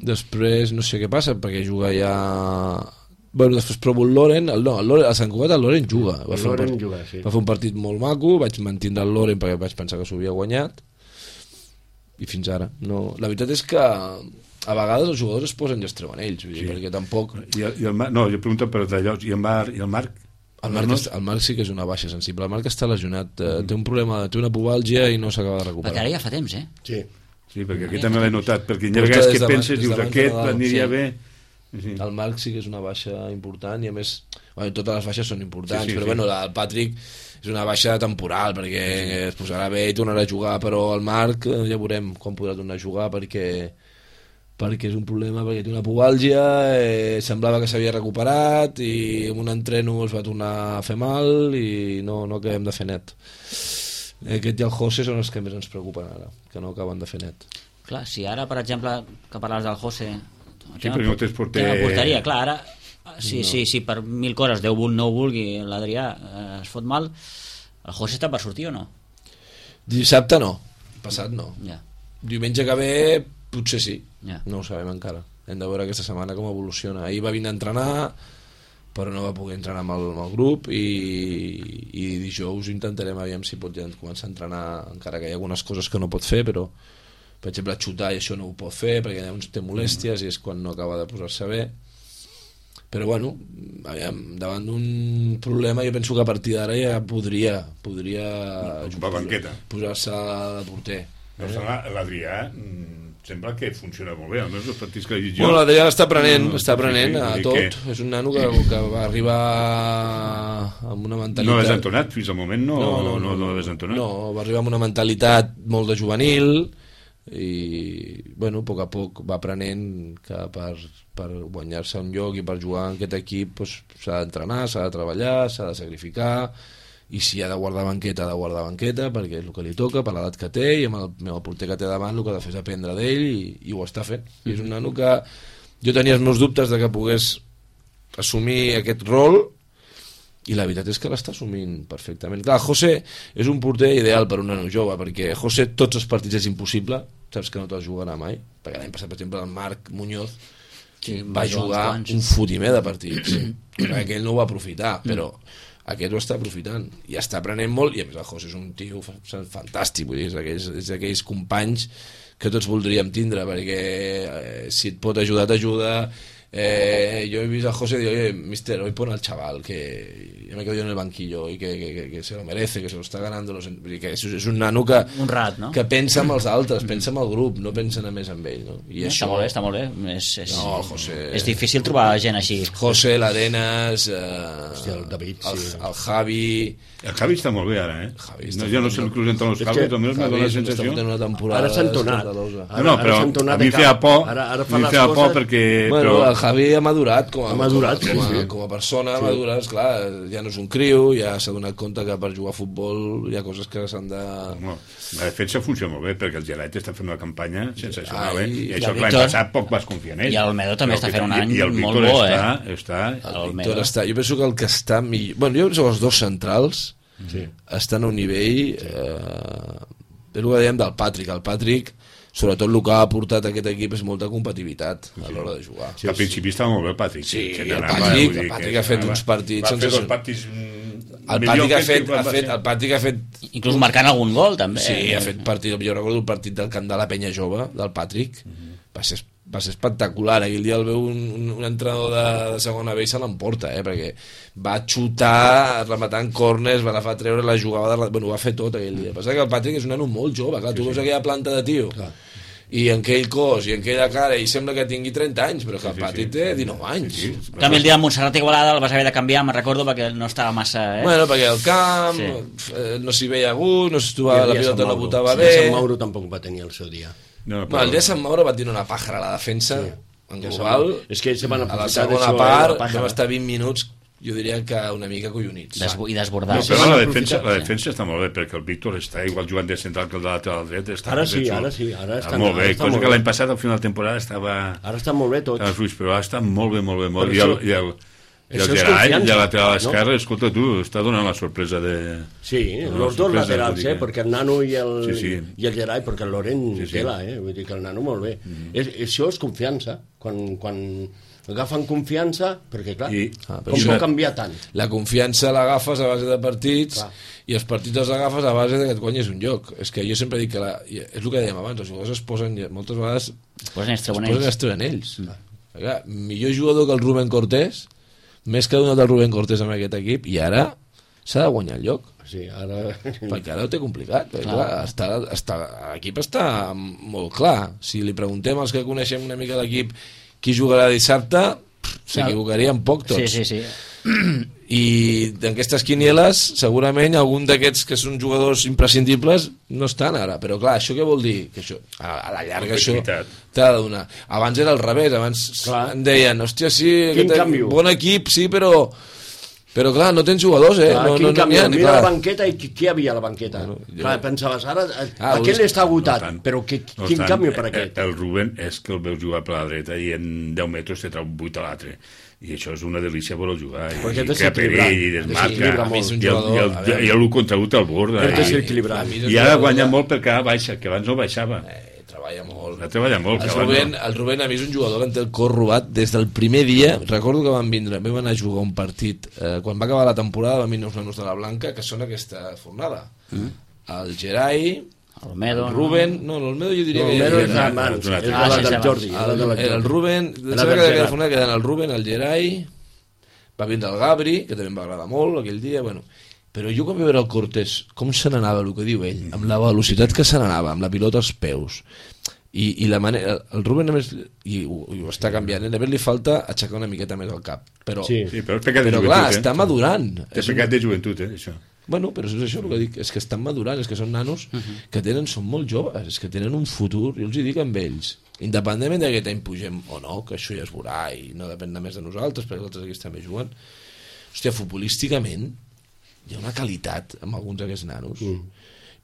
Després no sé què passa perquè juga ja... Bueno, després provo el Loren, el, no, el Loren, a Sant Cugat el Loren juga. Va, fer Loren un, juga sí. va fer un partit molt maco, vaig mantindre el Loren perquè vaig pensar que s'ho havia guanyat i fins ara. No, la veritat és que a vegades els jugadors es posen i es treuen ells, vull dir, Sí. perquè tampoc... I el, i el Marc, no, jo pregunto per d'allò, i el Marc, i el Marc? El Marc, no? està, el Marc sí que és una baixa sensible. El Marc està lesionat, eh, té un problema, té una pubàlgia i no s'acaba de recuperar. Perquè ara ja fa temps, eh? Sí. Sí, perquè aquí també l'he notat, perquè hi ha Porta vegades des que de- penses, des dius, d'abans de aquest Nadal, aniria sí. bé... Sí. El Marc sí que és una baixa important i a més, bueno, totes les baixes són importants, Sí, sí, però sí. bueno, la, el Patrick és una baixa temporal perquè es posarà bé i tornarà a jugar, però el Marc eh, ja veurem quan podrà tornar a jugar perquè perquè és un problema, perquè té una pubàlgia, eh, semblava que s'havia recuperat i amb un entreno es va tornar a fer mal i no, no acabem de fer net. Aquest i el José són els que més ens preocupen ara, que no acaben de fer net. Clar, si ara, per exemple, que parles del José... Sí, perquè no tens porter- Tema porteria, clar, ara... Sí, no. sí, sí, per mil coses, Déu vul, no ho vulgui, l'Adrià eh, es fot mal, el José està per sortir o no? Dissabte no, passat no. Ja, Diumenge que ve potser sí, ja. no ho sabem encara. Hem de veure aquesta setmana com evoluciona. Ahir va vindre a entrenar, però no va poder entrenar amb el, amb el grup i, i dijous intentarem aviam si pot ja començar a entrenar, encara que hi ha algunes coses que no pot fer, però per exemple xutar i això no ho pot fer perquè llavors té molèsties i és quan no acaba de posar-se bé. Però bueno, aviam, davant d'un problema jo penso que a partir d'ara ja podria podria Ocupar banqueta. posar-se de porter. No, l'Adrià mm, sembla que funciona molt bé, almenys els partits que he vist jo. Bueno, l'Adrià està aprenent, No, està sí, aprenent sí, a vull tot. dir que- És un nano que, que va arribar amb una mentalitat... No l'has entonat, fins al moment no, no, no, no, no l'has entonat. No, va arribar amb una mentalitat molt de juvenil i, bueno, a poc a poc va aprenent que per, per guanyar-se un lloc i per jugar en aquest equip pues, s'ha d'entrenar, s'ha de treballar, s'ha de sacrificar i si ha de guardar banqueta, ha de guardar banqueta perquè és el que li toca, per l'edat que té i amb el, amb el porter que té davant el que ha de fer és aprendre d'ell i, i ho està fent. I és un nano que jo tenia els meus dubtes de que pogués assumir aquest rol i la veritat és que l'està assumint perfectament. Clar, José és un porter ideal per un nano jove, perquè José tots els partits és impossible, saps que no te'ls jugarà mai, perquè l'any passat, per exemple, el Marc Muñoz Sí, va va jugar jugar uns quants. un fotimer de partits, perquè ell no ho va aprofitar, però aquest ho està aprofitant i està aprenent molt, i a més el José és un tio fa- fantàstic, vull dir, és d'aquells, és d'aquells companys que tots voldríem tindre, perquè eh, si et pot ajudar, t'ajuda. Eh, yo he visto a José y digo, oye, mister, hoy pon al chaval que ya me quedo yo en el banquillo y que, que, que, que se lo merece, que se lo está ganando los... que és, és un nano que, Un rat, no? que pensa en els altres, pensa en el grup, no pensa només en ell, no? I Està molt bé, està molt bé. És, és, No, el José... és difícil trobar gent així. José, l'Arenas, eh, Hòstia, el David, el, sí. el Javi... El Javi està molt bé ara, eh? Javi no, està jo no fent sé el una- que us entren els És Javi, que també m'ha Javi donat la està sensació. fent una temporada Ara s'ha entonat. escandalosa. No, no, però Ara s'ha entonat a mi de em feia cap. por, Ara- ara a fa mi em les feia por coses- perquè... Bueno, però, el Javi ha madurat com a, Ha madurat, com a, sí, sí. com a persona, ha madurat, esclar, ja no és un criu, ja s'ha donat compte que per jugar a futbol hi ha coses que s'han de... no, la defensa funciona molt bé perquè el Gelet està fent una campanya sensacional, Ai, eh? I i això el que l'any Víctor- passat poc vas confiar en ell. i el Medo també Però està que- fent un i- any i el molt Víctor bo, està, eh? està, El El Medo. està, jo penso que el que està millor... Bueno, jo penso que els dos centrals Sí. estan a un nivell... Eh, és el que dèiem del Patrick. El Patrick, sobretot el que ha aportat a aquest equip és molta competitivitat a l'hora de jugar. que al principi estava molt bé el Patrick. Sí, que el anava, Patrick- vull dir el Patrick que ha fet anava- uns partits Va fer dos sensacionals. partits... mm, El millor Patrick ha que fet, quan ha va fet, ser. el Patrick ha fet Inclús marcant algun gol, també. Sí, ha fet partit, jo recordo el partit del camp de la Penya Jove, del Patrick, va ser, va ser espectacular. Aquell dia el veu un, un, un entrenador de, de segona B i se l'emporta, eh, perquè va xutar, rematant corners, va agafar a treure la jugada, de, bueno, ho va fer tot aquell dia. Passa que el Patrick és un nano molt jove, clar, tu veus aquella planta de tio, i en aquell cos, i en aquella cara, i sembla que tingui trenta anys, però que el Patrick té dinou anys. Sí, sí. També el dia de Montserrat Igualada el vas haver de canviar, me'n recordo, perquè no estava massa... Eh? Bueno, perquè el camp Sí. eh, no s'hi veia a gust, no s'hi I trobava, el la dia de Sant pilota no Mauro. botava El dia de bé. Sant Mauro tampoc va tenir el seu dia. No, Bueno, però- el dia de Sant Mauro va tenir una pàjara a la defensa, Sí. en Ja global. sap- és que se van a la aprofitar segona d'això, eh, part la pàjara. vam estar vint minuts, jo diria que una mica collonits. Desbo I desbordar. No, se però van la aprofitar, defensa, la sí. defensa està molt bé, perquè el Víctor està igual jugant de central que el de lateral dret. Està Ara ben sí, fet, ara sí, ara està està- molt bé, ara està cosa molt que bé. l'any passat, al final de temporada, estava... Ara està molt bé tot. estava fluix, però ara està molt bé, molt bé, molt Però bé. I el, això- i el, i el això és Gerai, confiança, de lateral no? esquerre, escolta tu, està donant la sorpresa de... Sí, No, los dos sorpresa, laterals, vull dir eh? que- Perquè el nano i el, Sí, sí. i el Gerai, perquè el Loren Sí, sí. tela, eh? Vull dir que el nano molt bé. Mm -hmm. és, això és confiança. Quan, quan agafen confiança, perquè clar, I- ah, però com això- pot canviar tant? La confiança l'agafes a base de partits Clar. i els partits els agafes a base de que et guanyes un lloc. És que jo sempre dic que la, és el que dèiem abans, els jugadors es posen, moltes vegades Es posen i es es treuen posen i ells. es treuen ells. Mm. Clar, millor jugador que el Rubén Cortés, més que donat el Rubén Cortés amb aquest equip, i ara s'ha de guanyar el lloc. Sí, ara... Perquè ara ho té complicat. Perquè, clar, està, està, l'equip està molt clar. Si li preguntem als que coneixem una mica l'equip qui jugarà dissabte, s'equivocarien poc tots. Sí, sí, sí. I d'aquestes quinieles segurament algun d'aquests que són jugadors imprescindibles no estan ara, però clar, això què vol dir? Que això, a, a la llarga això Complexitat. t'ha de donar. Abans era al revés, abans Clar. em deien, hòstia, sí, Quin aquest, canvi? bon equip, sí, però però clar, no tens jugadors, eh? Clar, no, quin no, no canvi? n'hi ha, Mira clar. la banqueta i qui, qui hi havia a la banqueta? Bueno, jo- Clar, pensaves, ara Ah, aquest vols- està agotat, No tant. però que, No quin tant. canvi per Eh, aquest? El Rubén és que el veus jugar per la dreta i en deu metres te trau vuit a l'altre. I això és una delícia per jugar. I, Perquè i és crea perill, equilibrat. i Desequilibra desmarca. molt. És un I el, jugador, i a el, veure. i el contra un te'l borda. És I, desequilibrat. A mi és un I ara jugador guanya de- molt perquè ara baixa, que abans no baixava. Eh, treballa molt. Ara treballa molt. El que abans Rubén, no. el Rubén a mi és un jugador que en té el cor robat des del primer dia. Recordo que van vindre, vam anar a jugar un partit eh, quan va acabar la temporada, van vindre uns nanos de la Blanca que són aquesta fornada. Mm. El Gerai, El Olmedo, el Rubén, no, l'Olmedo jo diria No, que... Olmedo és era- germans, era- és Ah, la sí, del sí, Jordi. sí. la del El, el, Jordi. Rubén, La em del sembla que Gerard. aquella fornada queden el Rubén, el Gerai, va vindre el Gabri, que també em va agradar molt aquell dia, bueno. Però jo quan vaig veure el Cortés, com se n'anava, el que diu ell, amb la velocitat que se n'anava, amb la pilota als peus, i, i la manera, el Rubén a més, i ho, i ho està canviant, a més li falta aixecar una miqueta més el cap, però, Sí. Sí, però és pecat de però joventut, clar, eh? està madurant. És És un- pecat de joventut, eh, això. Bueno, però és això el que dic, és que estan madurant, és que són nanos que tenen, són molt joves, és que tenen un futur, jo els hi dic amb ells, independentment de que aquest any pugem o no, que això ja es veurà i no depèn només de nosaltres, perquè els altres aquí també juguen. Hòstia, futbolísticament hi ha una qualitat amb alguns d'aquests nanos, mm.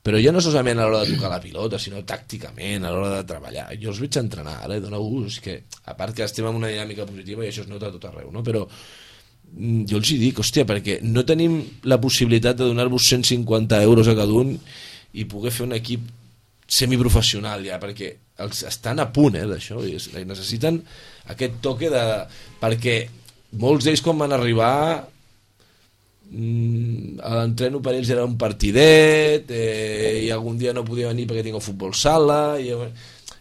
però ja no solament a l'hora de tocar la pilota, sinó tàcticament, a l'hora de treballar. Jo els veig entrenar, ara, i dona gust, que a part que estem en una dinàmica positiva i això es nota a tot arreu, no? Però mm, jo els hi dic, hòstia, perquè no tenim la possibilitat de donar-vos cent cinquanta euros a cada un i poder fer un equip semiprofessional ja, perquè els estan a punt eh, d'això, i es- necessiten aquest toque de... perquè molts d'ells quan van arribar mm, l'entreno per ells era un partidet eh, i algun dia no podia venir perquè tinc el futbol sala i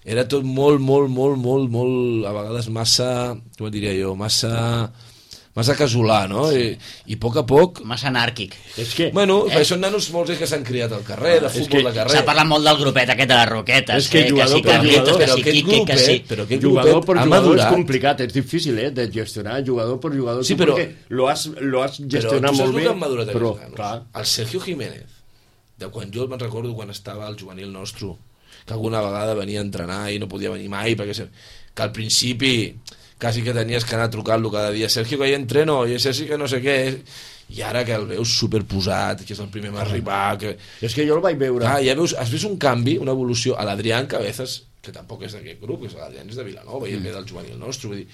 era tot molt, molt, molt, molt, molt a vegades massa, com diria jo, massa massa casolà, no? I, i a poc a poc Massa anàrquic. És que... bueno, Eh? eh? són nanos molts que s'han criat al carrer, de és futbol que de carrer. S'ha parlat molt del grupet aquest de les Roquetes, És que eh? jugador que si per Carlitos, jugador, que però si aquest Quique, que grupet, si... però aquest Jugador grupet per ha jugador és madurat. complicat, és difícil eh, de gestionar jugador per jugador. Sí, Tu però- perquè lo has, lo has Però gestionat tu saps molt el bé, que han madurat però, aquests nanos? clar, El Sergio Jiménez, de quan jo me'n recordo quan estava al juvenil nostre, que alguna vegada venia a entrenar i no podia venir mai, perquè se- que al principi quasi que tenies que anar trucant-lo cada dia, Sergio, que hi entreno, i Sergio que no sé què, i ara que el veus superposat, que és el primer a arribar, que... és que jo el vaig veure. Ah, ja veus, has vist un canvi, una evolució a l'Adrián Cabezas, que tampoc és d'aquest grup, que és l'Adrián és de Vilanova i el ve del juvenil nostre, vull dir,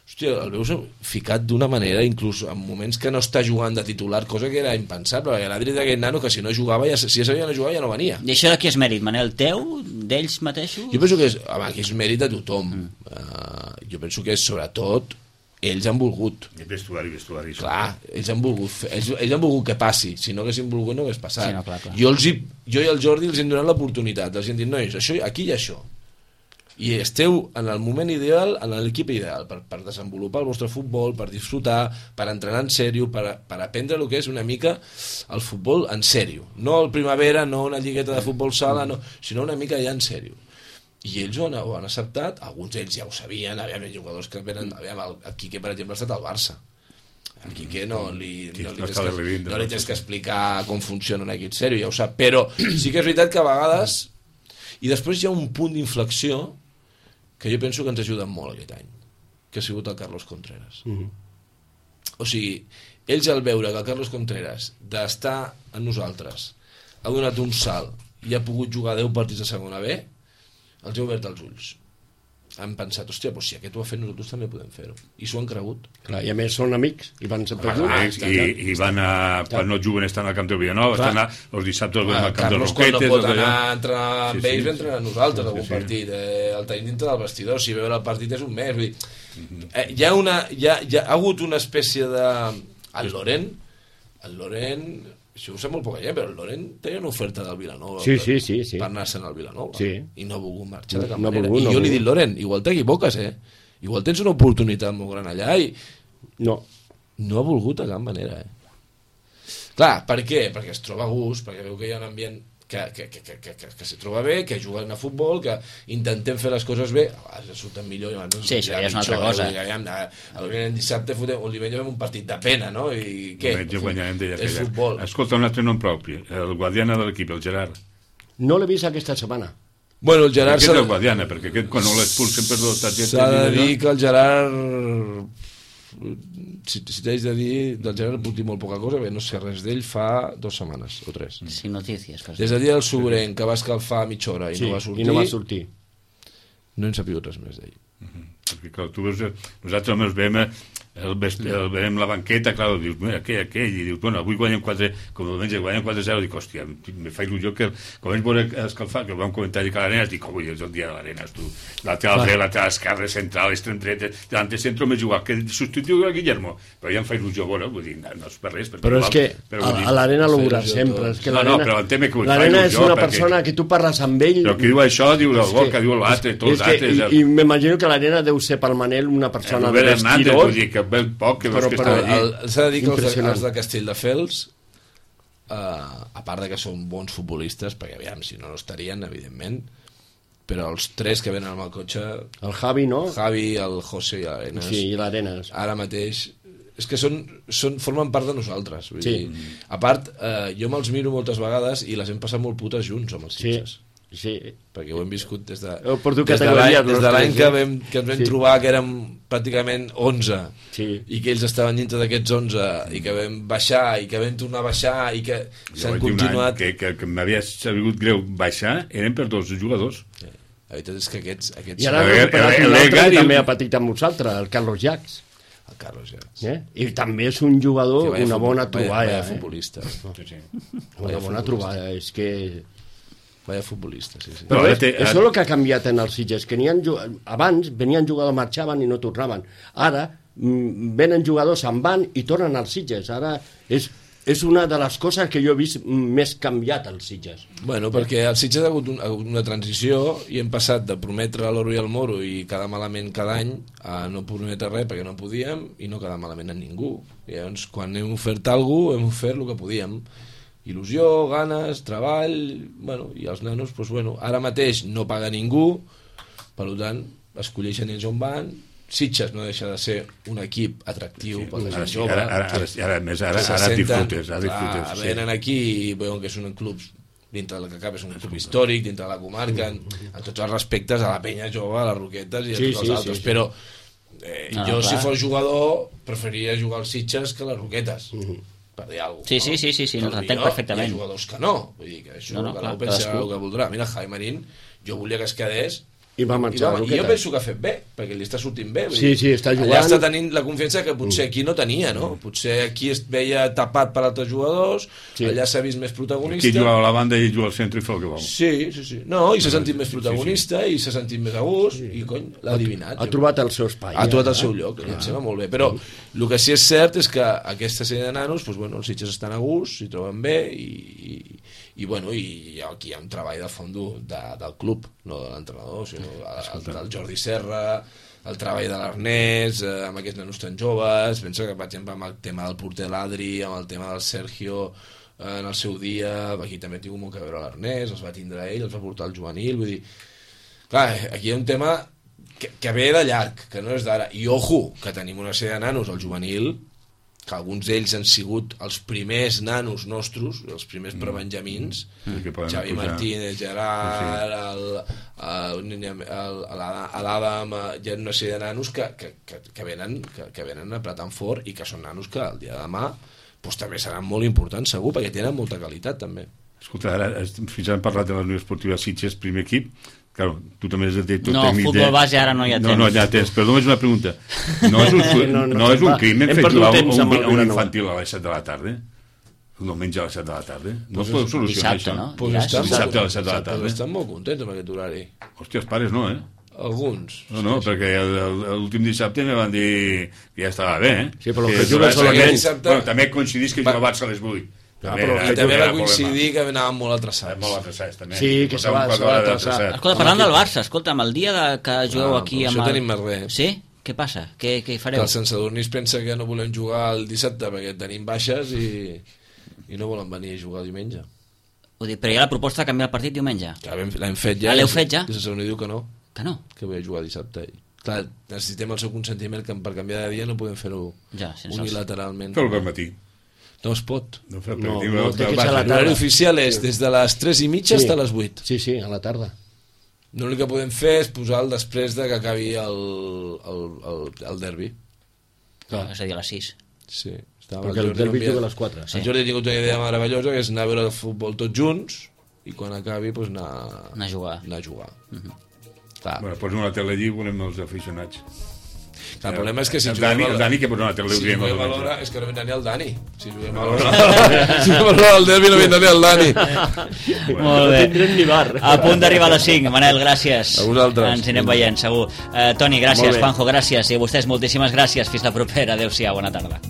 hòstia, el veus ficat d'una manera, inclús en moments que no està jugant de titular, cosa que era impensable, perquè l'Adri és d'aquest nano que si no jugava, ja, si ja sabia no jugar ja no venia. I això de qui és mèrit, Manel? Teu? D'ells mateixos? Jo penso que és, home, que és mèrit de tothom. Mm. Uh, jo penso que és sobretot ells han volgut. I vestuari, vestuari. Clar, ells han volgut, fer, ells, ells han volgut que passi. Si no haguessin volgut no hagués passat. Sí, no, clar, clar. Jo, els hi, jo i el Jordi els hem donat l'oportunitat. Els hem dit, nois, això, aquí hi ha això. I esteu en el moment ideal, en l'equip ideal, per, per desenvolupar el vostre futbol, per disfrutar, per entrenar en sèrio, per, per aprendre el que és una mica el futbol en sèrio. No el primavera, no una lligueta de futbol sala, no, sinó una mica ja en sèrio. I ells ho han, ho han acceptat, alguns d'ells ja ho sabien, aviam, hi ha jugadors que venen, aviam, el, el Quique, per exemple, ha estat al Barça. El Quique no li, Sí, no li, no tens, està que, de revint, no li no. tens que explicar com funciona un equip sèrio, ja ho sap, però sí que és veritat que a vegades, i després hi ha un punt d'inflexió que jo penso que ens ha ajudat molt aquest any, que ha sigut el Carlos Contreras. Mhm. O sigui, ells al veure que el Carlos Contreras d'estar en nosaltres ha donat un salt i ha pogut jugar deu partits de segona B, els ha obert els ulls. han pensat, hòstia, doncs si aquest ho ha fet nosaltres també podem fer-ho. I s'ho han cregut. Clar, i a més són amics, i van sempre Ah, junts. i, i van a... Quan no juguen estan al camp del Villanova, estan a, els dissabtes van Ah, al camp de Carlos, quan no Roquetes... pot allò. anar a entrenar amb Sí, sí, ells, sí. va entrenar amb nosaltres Sí, algun sí. partit. Eh, el tenim dintre del vestidor, si veure el partit és un mes. Vull dir, eh, hi, ha una, hi, ha, hi ha hagut una espècie de... El Loren, el Loren... Això ho sap molt poca gent, però el Loren tenia una oferta del Vilanova Sí, per, sí, sí, sí. per anar-se'n al Vilanova. Sí. I no ha volgut marxar de cap No ha manera. volgut, I no jo ha li dic, volgut. Loren, igual t'equivoques, eh? Igual tens una oportunitat molt gran allà i No, no ha volgut de cap manera, eh? Clar, per què? Perquè es troba a gust, perquè veu que hi ha un ambient que, que, que, que, que, que, que se troba bé, que juguen a futbol, que intentem fer les coses bé, a vegades surten millor i a vegades Sí, això ja és una altra pitjor, cosa. eh? Vull dir, aviam, el, el dissabte fotem, o el diumenge fem un partit de pena, no? I què? Diumenge guanyarem d'ella És aquella. futbol. Escolta, un altre nom propi, el guardiana de l'equip, el Gerard. no l'he vist aquesta setmana. Bueno, el Gerard Aquest s'ha és el guardiana, perquè aquest quan no l'expulsen per dos targetes... s'ha de i d'allò, dir que el Gerard... Si, si t'haig de dir, del Gerard puc dir molt poca cosa, bé, no sé res d'ell fa dues setmanes o tres. Sin notícies. Pues. Des del dia del Sobrenc, que va escalfar mitja hora i Sí, no va sortir, i no va sortir. no hem sabut res més d'ell. Perquè, clar, tu veus, nosaltres només veiem el, vest, el veiem la banqueta, clar, dius, mira, aquell, aquell, i dius, bueno, avui guanyem quatre, com el diumenge guanyem quatre zero, dic, hòstia, me fa il·lusió que, com ells veure escalfar, que vam comentar que l'Arenas, dic, avui és el dia de l'Arenas, tu, lateral dret, lateral esquerre, central, extrem dret, davant de centre més igual, que substituïu a Guillermo, però ja em fa il·lusió veure, vull dir, no, no és per res, perquè Però és igual, que però, a, vull dir, a l'Arena fa lo veuràs il·lusió sempre. tot. És que No, no, l'Arena però entenc que ho fa l'Arena és il·lusió, una perquè- persona que tu parles amb ell... però qui diu això, diu el És gol, que- que diu l'altre, tots és els que, altres, I, i m'imagino que l'Arena deu ser pel Manel una persona de Robert Hernández, vestirós. vull dir, que ve poc, que veus Però- que però està allí. El, s'ha de dir que els de, Impressionant. els de Castelldefels, eh, a part de que són bons futbolistes, perquè aviam, si no, no estarien, evidentment, però els tres que venen amb el cotxe, El Javi, no? Javi, el José i l'Arenas, Sí, i l'Arenas. ara mateix és que són, són, formen part de nosaltres, vull Sí. dir. A part, eh, jo me'ls miro moltes vegades i les hem passat molt putes junts amb els Sí, Sitges, sí. perquè ho hem viscut des de, Heu perdut des de categories, l'any des de los l'any tres, que, eh? vam, que ens vam Sí. trobar que érem pràcticament onze Sí. i que ells estaven dintre d'aquests onze i que vam baixar i que vam tornar a baixar i que Jo s'han vaig dir un any continuat. que, que, que m'havia sabut greu baixar, eren per dos jugadors. Sí. La veritat és que aquests, aquests I ara El- han recuperat el- un el altre Egari- que també ha patit amb nosaltres, el Carlos Jacs. el Carlos ja. Eh? I també és un jugador, Que vaya una futbol- bona vaya- troballa. vaya eh? futbolista. Sí, sí. Una bona troballa, és que... Vaya futbolista, sí, sí. Però No, és, ara té- això és el que ha canviat en els Sitges, que n'hi ha, abans venien jugadors, marxaven i no tornaven. Ara mm, venen jugadors, se'n van i tornen als Sitges. Ara és, és una de les coses que jo he vist més canviat als Sitges. Bueno, perquè el Sitges ha hagut, un, ha hagut una transició i hem passat de prometre l'oro i el moro i quedar malament cada any a no prometre res perquè no podíem i no quedar malament a ningú. I llavors, quan hem ofert alguna cosa, hem ofert el que podíem. Il·lusió, ganes, treball... Bueno, i els nanos, doncs, bueno, ara mateix no paga ningú, per tant, escolleixen ells on van. Sitges no deixa de ser un equip atractiu per la Ara, gent sí, jove. ara, ara, ara, ara, a més, ara, Se ara senten, disfrutes, ara clar, disfrutes. Sí. venen aquí i veuen que és un club dintre del que cap és un club històric, dintre de la comarca, en, en tots els respectes a la penya jove, a les Roquetes i a Sí, tots sí, els altres, sí, sí. però eh, No, jo clar. si fos jugador preferiria jugar als Sitges que a les Roquetes, per dir alguna cosa. Sí, sí, sí, sí, sí, no, t'entenc perfectament. Hi ha jugadors que no, vull dir que això No, no, cada clar, un pensa cadascú. el que voldrà. Mira, Jaime Marín, jo volia que es quedés I va i, marxar a va, i jo Roquetes. penso que ha fet bé, perquè li està sortint bé. vull Sí, dir, sí, està Allà jugant. està tenint la confiança que potser aquí no tenia, no? Potser aquí es veia tapat per altres jugadors, Sí. allà s'ha vist més Aquí protagonista. jugava a la banda i ell juga al centre i fa el que vol. Sí, sí, sí. No, i s'ha sentit més protagonista i s'ha sentit més a gust i, cony, l'ha adivinat. Ha trobat el seu espai. ha trobat el eh? seu lloc, i em sembla molt bé. Però el que sí és cert és que aquesta sèrie de nanos, doncs, bueno, els Sitges estan a gust, s'hi troben bé i, i, i, bueno, i aquí hi ha un treball de fons de, del club, no de l'entrenador, sinó el, del Jordi Serra, el treball de l'Ernest, eh, amb aquests nanos tan joves. Penso que, per exemple, amb el tema del porter l'Adri, amb el tema del Sergio, eh, en el seu dia, aquí també ha tingut molt que veure l'Ernest, els va tindre ell, els va portar el juvenil, vull dir... Clar, aquí hi ha un tema que, que ve de llarg, que no és d'ara. I ojo, que tenim una sèrie de nanos al juvenil, que alguns d'ells han sigut els primers nanos nostres, els primers prebenjamins, Mm. Que poden Xavi pujar. Martínez, Gerard, el, el, el, el, l'Adam, hi ha una sèrie de nanos que, que, que, que, venen, que, que venen apretant fort i que són nanos que el dia de demà doncs, també seran molt importants, segur, perquè tenen molta qualitat, també. Escolta, ara, fins ara hem parlat de la Unió Esportiva Sitges, primer equip. Claro, tu també has de dir... No, futbol base ara no hi ha temps. No, no hi ha temps, però només una pregunta. No és un, no, no, no és un crim hem fet jugar un, un, un infantil a les set de la tarda? Un diumenge a les set de la tarda? No es podeu solucionar dissabte, això? No? Pues Dissabte, dissabte a les set de la tarda. Estan molt contents amb aquest horari. Hòstia, els pares no, eh? Alguns. No, no, sí, perquè l'últim dissabte me van dir que ja estava bé, eh? Sí, però el que que juguen solament... dissabte... Bueno, també coincidís que jugava Barça a les vuit. Ah, També, però era, I també va era coincidir que anàvem molt atrasats. molt atrasats, també. Sí, que se va- se va atrasar. Escolta, parlant del Barça, escolta'm, el dia de, que jugueu Ah, aquí però amb això el... tenim més res. Sí? Què passa? Què, què Que fareu? el Sansadornís pensa que no volem jugar el dissabte perquè tenim baixes i, i no volen venir a jugar el diumenge. Vull dir, però hi ha la proposta de canviar el partit diumenge. Que l'hem l'hem fet ja. Ah, l'heu fet ja? I el Sansadorní diu que no, Que no? que vull jugar dissabte. I, clar, necessitem el seu consentiment que per canviar de dia no podem fer-ho Ja, sense els- unilateralment. Feu-ho per matí. No es pot. No, feu, No, diu, no, el- té el que ser a la Barça. L'horari tarda. oficial és des de les tres i mitja Sí. fins a les vuit. Sí, sí, a la tarda. L'únic que podem fer és posar-lo després de que acabi el, el, el, el derbi. No, és a dir, a les sis. Sí. Estava Perquè el derbi juga a les quatre. Sí. El Jordi ha tingut una idea meravellosa, que és anar a veure el futbol tots junts i quan acabi pues, anar, Anar a jugar. anar a jugar. Mhm. Clar. Bueno, posa una tele allí i volem els aficionats. Clar, el problema és que si el juguem Dani, a el l'hora- Dani que posa una tele si diem juguem a els l'hora, altres. és que no vindrà ni el Dani. Si juguem a l'hora, si juguem a l'hora del derbi no vindrà ni el Dani. Molt bé. No tindrem ni bar. A punt d'arribar a les cinc. Manel, gràcies. A vosaltres. Ens anirem veient, segur. Uh, Toni, Molt gràcies. bé. Juanjo, gràcies. I a vostès, moltíssimes gràcies. Fins la propera. Adéu-siau. Bona tarda.